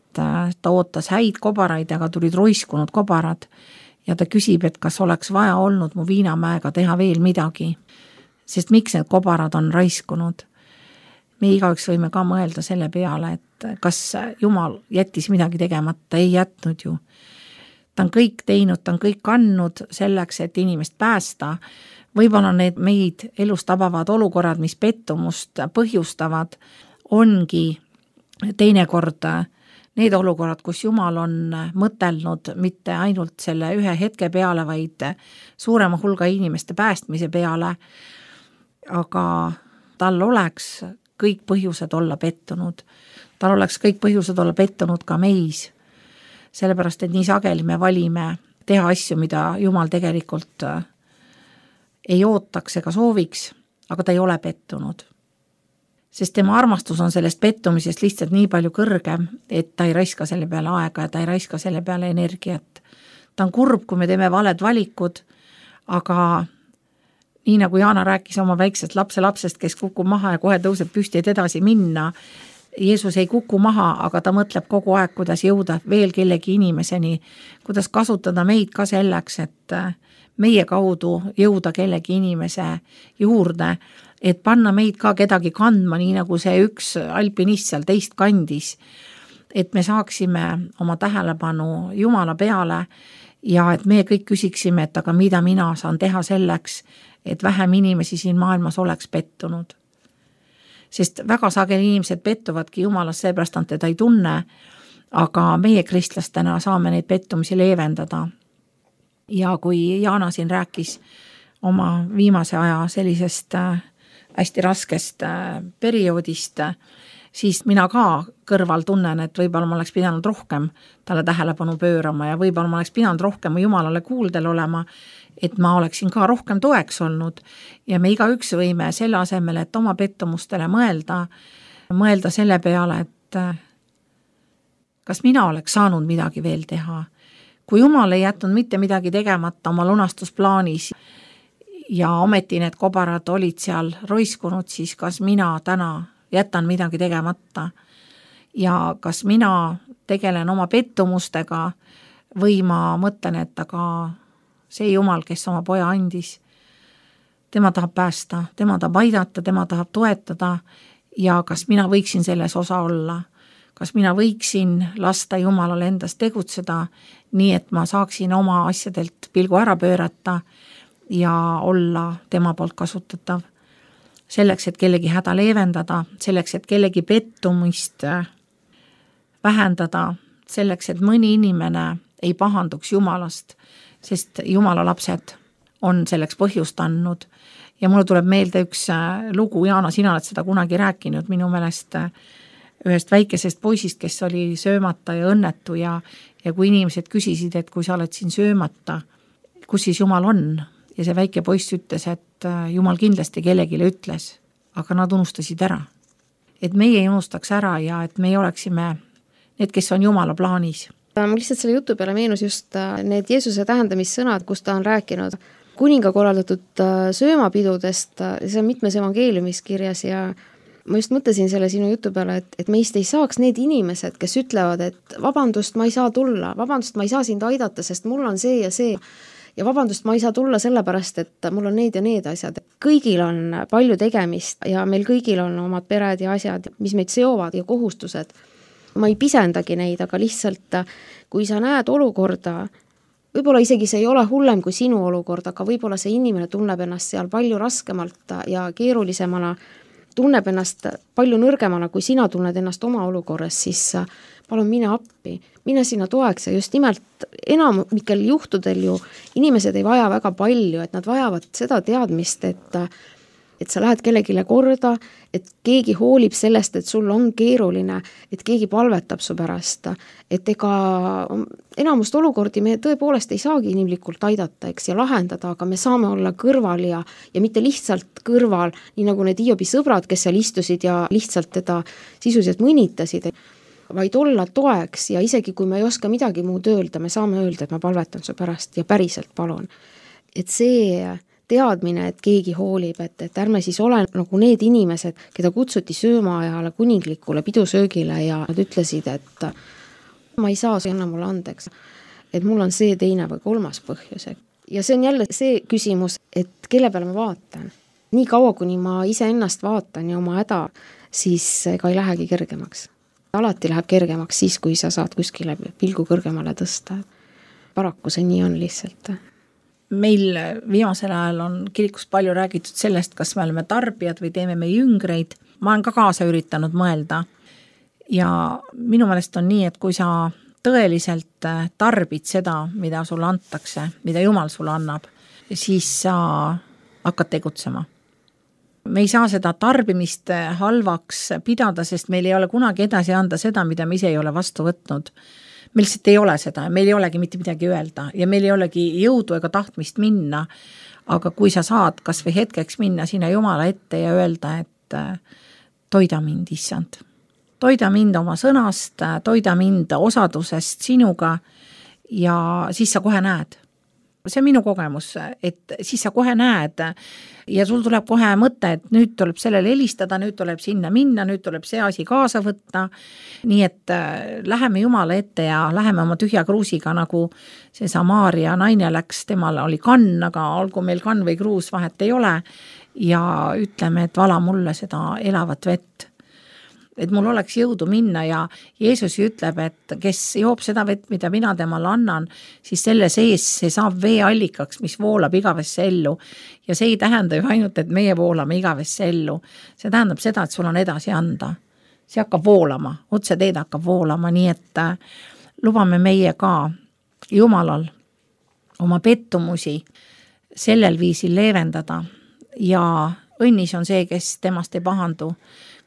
ta ootas häid kobaraid, aga tulid roiskunud kobarad ja ta küsib, et kas oleks vaja olnud mu Viinamäega teha veel midagi, sest miks need kobarad on raiskunud. Me igaüks võime ka mõelda selle peale, et kas Jumal jättis midagi tegemata, ei jätnud ju. Ta on kõik teinud, ta on kõik andnud selleks, et inimest päästa. Võib-olla need meid elus tabavad olukorrad, mis pettumust põhjustavad, ongi teinekord need olukorrad, kus Jumal on mõtelnud mitte ainult selle ühe hetke peale, vaid suurema hulga inimeste päästmise peale, aga tal oleks kõik põhjused olla pettunud. Tal oleks kõik põhjused olla pettunud ka meis, sellepärast, et nii sageli me valime teha asju, mida Jumal tegelikult ei ootaks ega sooviks, aga ta ei ole pettunud. Sest tema armastus on sellest pettumisest lihtsalt nii palju kõrgem, et ta ei raiska selle peale aega ja ta ei raiska selle peale energiat. Ta on kurb, kui me teeme valed valikud, aga nii nagu Jaana rääkis oma väiksest lapsest, kes kukub maha ja kohe tõuseb püsti, et edasi minna. Jeesus ei kuku maha, aga ta mõtleb kogu aeg, kuidas jõuda veel kellegi inimeseni, kuidas kasutada meid ka selleks, et meie kaudu jõuda kellegi inimese juurde, et panna meid ka kedagi kandma, nii nagu see üks alpinist seal teist kandis, et me saaksime oma tähelepanu Jumala peale ja et me kõik küsiksime, et aga mida mina saan teha selleks, et vähem inimesi siin maailmas oleks pettunud. Sest väga sageli inimesed pettuvadki Jumalast, seepärast nad teda ei tunne, aga meie kristlastena saame neid pettumisi leevendada. Ja kui Jaana siin rääkis oma viimase aja sellisest hästi raskest perioodist, siis mina ka kõrval tunnen, et võib-olla ma oleks pidanud rohkem talle tähelepanu pöörama ja võib-olla ma oleks pidanud rohkem Jumalale kuuldel olema et ma oleksin ka rohkem toeks olnud ja me igaüks võime selle asemel, et oma pettumustele mõelda selle peale, et kas mina oleks saanud midagi veel teha. Kui Jumal ei jätnud mitte midagi tegemata oma lunastusplaanis ja ometi need kobarad olid seal roiskunud, siis kas mina täna jätan midagi tegemata ja kas mina tegelen oma pettumustega või ma mõtlen, et aga see Jumal, kes oma poja andis, tema tahab päästa, tema tahab aidata, tema tahab toetada ja kas mina võiksin selles osa olla, kas mina võiksin lasta Jumalal endast tegutseda nii, et ma saaksin oma asjadelt pilgu ära pöörata ja olla tema poolt kasutatav. Selleks, et kellegi häda leevendada, selleks, et kellegi pettumist vähendada, selleks, et mõni inimene ei pahanduks Jumalast, sest Jumala lapsed on selleks põhjust andnud. Ja mulle tuleb meelde üks lugu, Jaana, sina oled seda kunagi rääkinud, minu meelest ühest väikesest poisist, kes oli söömata ja õnnetu ja kui inimesed küsisid, et kui sa oled siin söömata, kus siis Jumal on? Ja see väike poiss ütles, et Jumal kindlasti kellegile ütles, aga nad unustasid ära. Et meie ei unustaks ära ja et meie oleksime need, kes on Jumala plaanis. Mul lihtsalt selle jutu peale meenus just need Jeesuse tähendamissõnad, kus ta on rääkinud kuninga korraldatud söömapidudest, see on mitmes evangeeliumis kirjas ja ma just mõtlesin selle sinu jutu peale, et meist ei saaks need inimesed, kes ütlevad, et vabandust, ma ei saa tulla, vabandust, ma ei saa sind aidata, sest mul on see ja see ja vabandust, ma ei saa tulla sellepärast, et mul on need ja need asjad. Kõigil on palju tegemist ja meil kõigil on omad pered ja asjad, mis meid seovad ja kohustused. Ma ei pisendagi neid, aga lihtsalt kui sa näed olukorda, võib-olla isegi see ei ole hullem kui sinu olukord, aga võib-olla see inimene tunneb ennast seal palju raskemalt ja keerulisemana, tunneb ennast palju nõrgemana, kui sina tunned ennast oma olukorras, siis palun mine appi, mine sinna toeks ja just nimelt enamikel juhtudel ju inimesed ei vaja väga palju, et nad vajavad seda teadmist, et sa lähed kellegile korda, et keegi hoolib sellest, et sul on keeruline, et keegi palvetab su pärast, et ega enamust olukordi me tõepoolest ei saagi inimlikult aidata, eks, ja lahendada, aga me saame olla kõrval ja mitte lihtsalt kõrval, nii nagu need Hiobi sõbrad, kes seal istusid ja lihtsalt teda sisuliselt mõnitasid, vaid olla toeks ja isegi kui me ei oska midagi muud öelda, me saame öelda, et ma palvetan su pärast ja päriselt palun. Et see teadmine, et keegi hoolib, et ärme siis ole nagu need inimesed, keda kutsuti söömaajale kuninglikule pidusöögile ja nad ütlesid, et ma ei saa, see anna mulle andeks, et mul on see teine või kolmas põhjus. Ja see on jälle see küsimus, et kelle peale ma vaatan. Nii kaua, kuni ma ise ennast vaatan ja oma häda, siis ega ei lähegi kergemaks. Alati läheb kergemaks siis, kui sa saad kuskile pilgu kõrgemale tõsta. Paraku see nii on lihtsalt. Meil viimasel ajal on kirikus palju räägitud sellest, kas me oleme tarbijad või teeme me jüngreid. Ma olen ka kaasa üritanud mõelda ja minu meelest on nii, et kui sa tõeliselt tarbid seda, mida sulle antakse, mida Jumal sulle annab, siis sa hakkad tegutsema. Me ei saa seda tarbimist halvaks pidada, sest meil ei ole kunagi edasi anda seda, mida me ise ei ole vastu võtnud. Meil lihtsalt ei ole seda, meil ei olegi mitte midagi öelda ja meil ei olegi jõudu ega tahtmist minna, aga kui sa saad kas või hetkeks minna sinna Jumala ette ja öelda, et toida mind, issand. Toida mind oma sõnast, toida mind osadusest sinuga ja siis sa kohe näed. See on minu kogemus, et siis sa kohe näed ja sul tuleb kohe mõte, et nüüd tuleb sellele helistada, nüüd tuleb sinna minna, nüüd tuleb see asi kaasa võtta. Nii et läheme Jumala ette ja läheme oma tühja kruusiga, nagu see Samaaria naine läks, temal oli kann, aga olgu meil kann või kruus, vahet ei ole. Ja ütleme, et vala mulle seda elavat vett. Et mul oleks jõudu minna ja Jeesus ütleb, et kes joob seda vett, mida mina temale annan, siis selle sees see saab veeallikaks, mis voolab igavesse ellu. Ja see ei tähenda ju ainult, et meie voolame igavesse ellu. See tähendab seda, et sul on edasi anda. See hakkab voolama, otse teed hakkab voolama, nii et lubame meie ka Jumalal oma pettumusi sellel viisil leevendada ja õnnis on see, kes temast ei pahandu.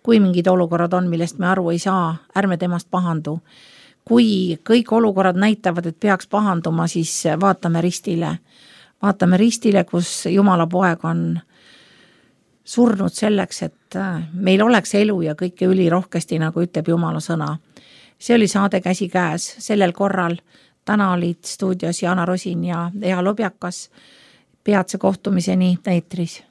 Kui mingid olukorrad on, millest me aru ei saa, ärme temast pahandu. Kui kõik olukorrad näitavad, et peaks pahanduma, siis vaatame ristile. vaatame ristile, kus Jumala poeg on surnud selleks, et meil oleks elu ja kõike ülirohkesti, nagu ütleb Jumala sõna. See oli saade Käsikäes sellel korral. Täna olid stuudios Jana Rosin ja Ea Lobjakas. Peatse kohtumiseni eetris.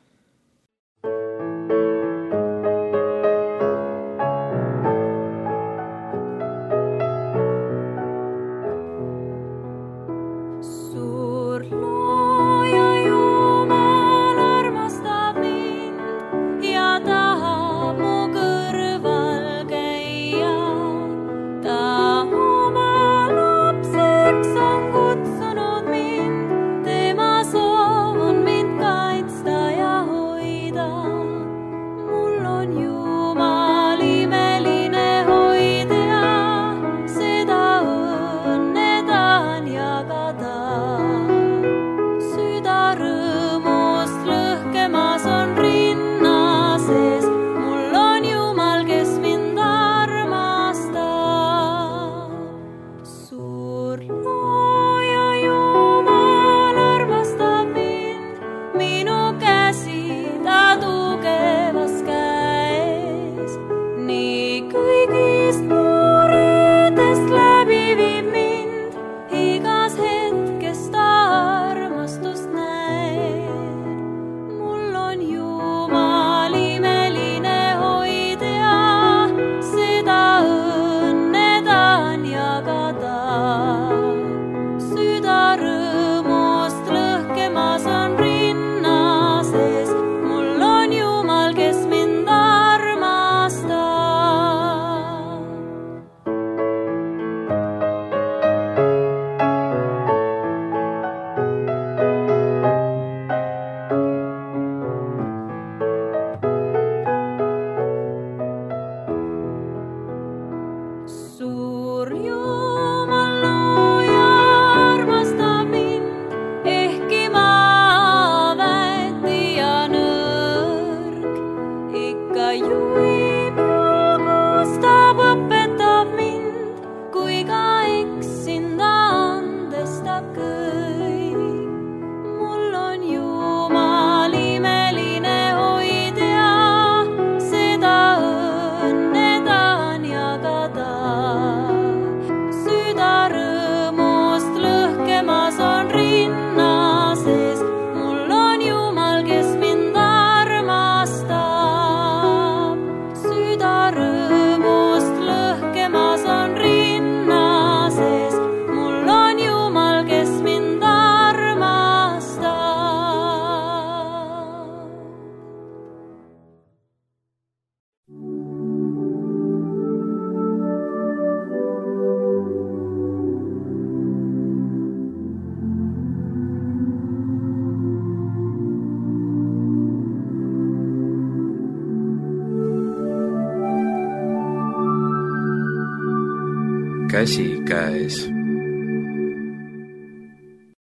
Käsikäes.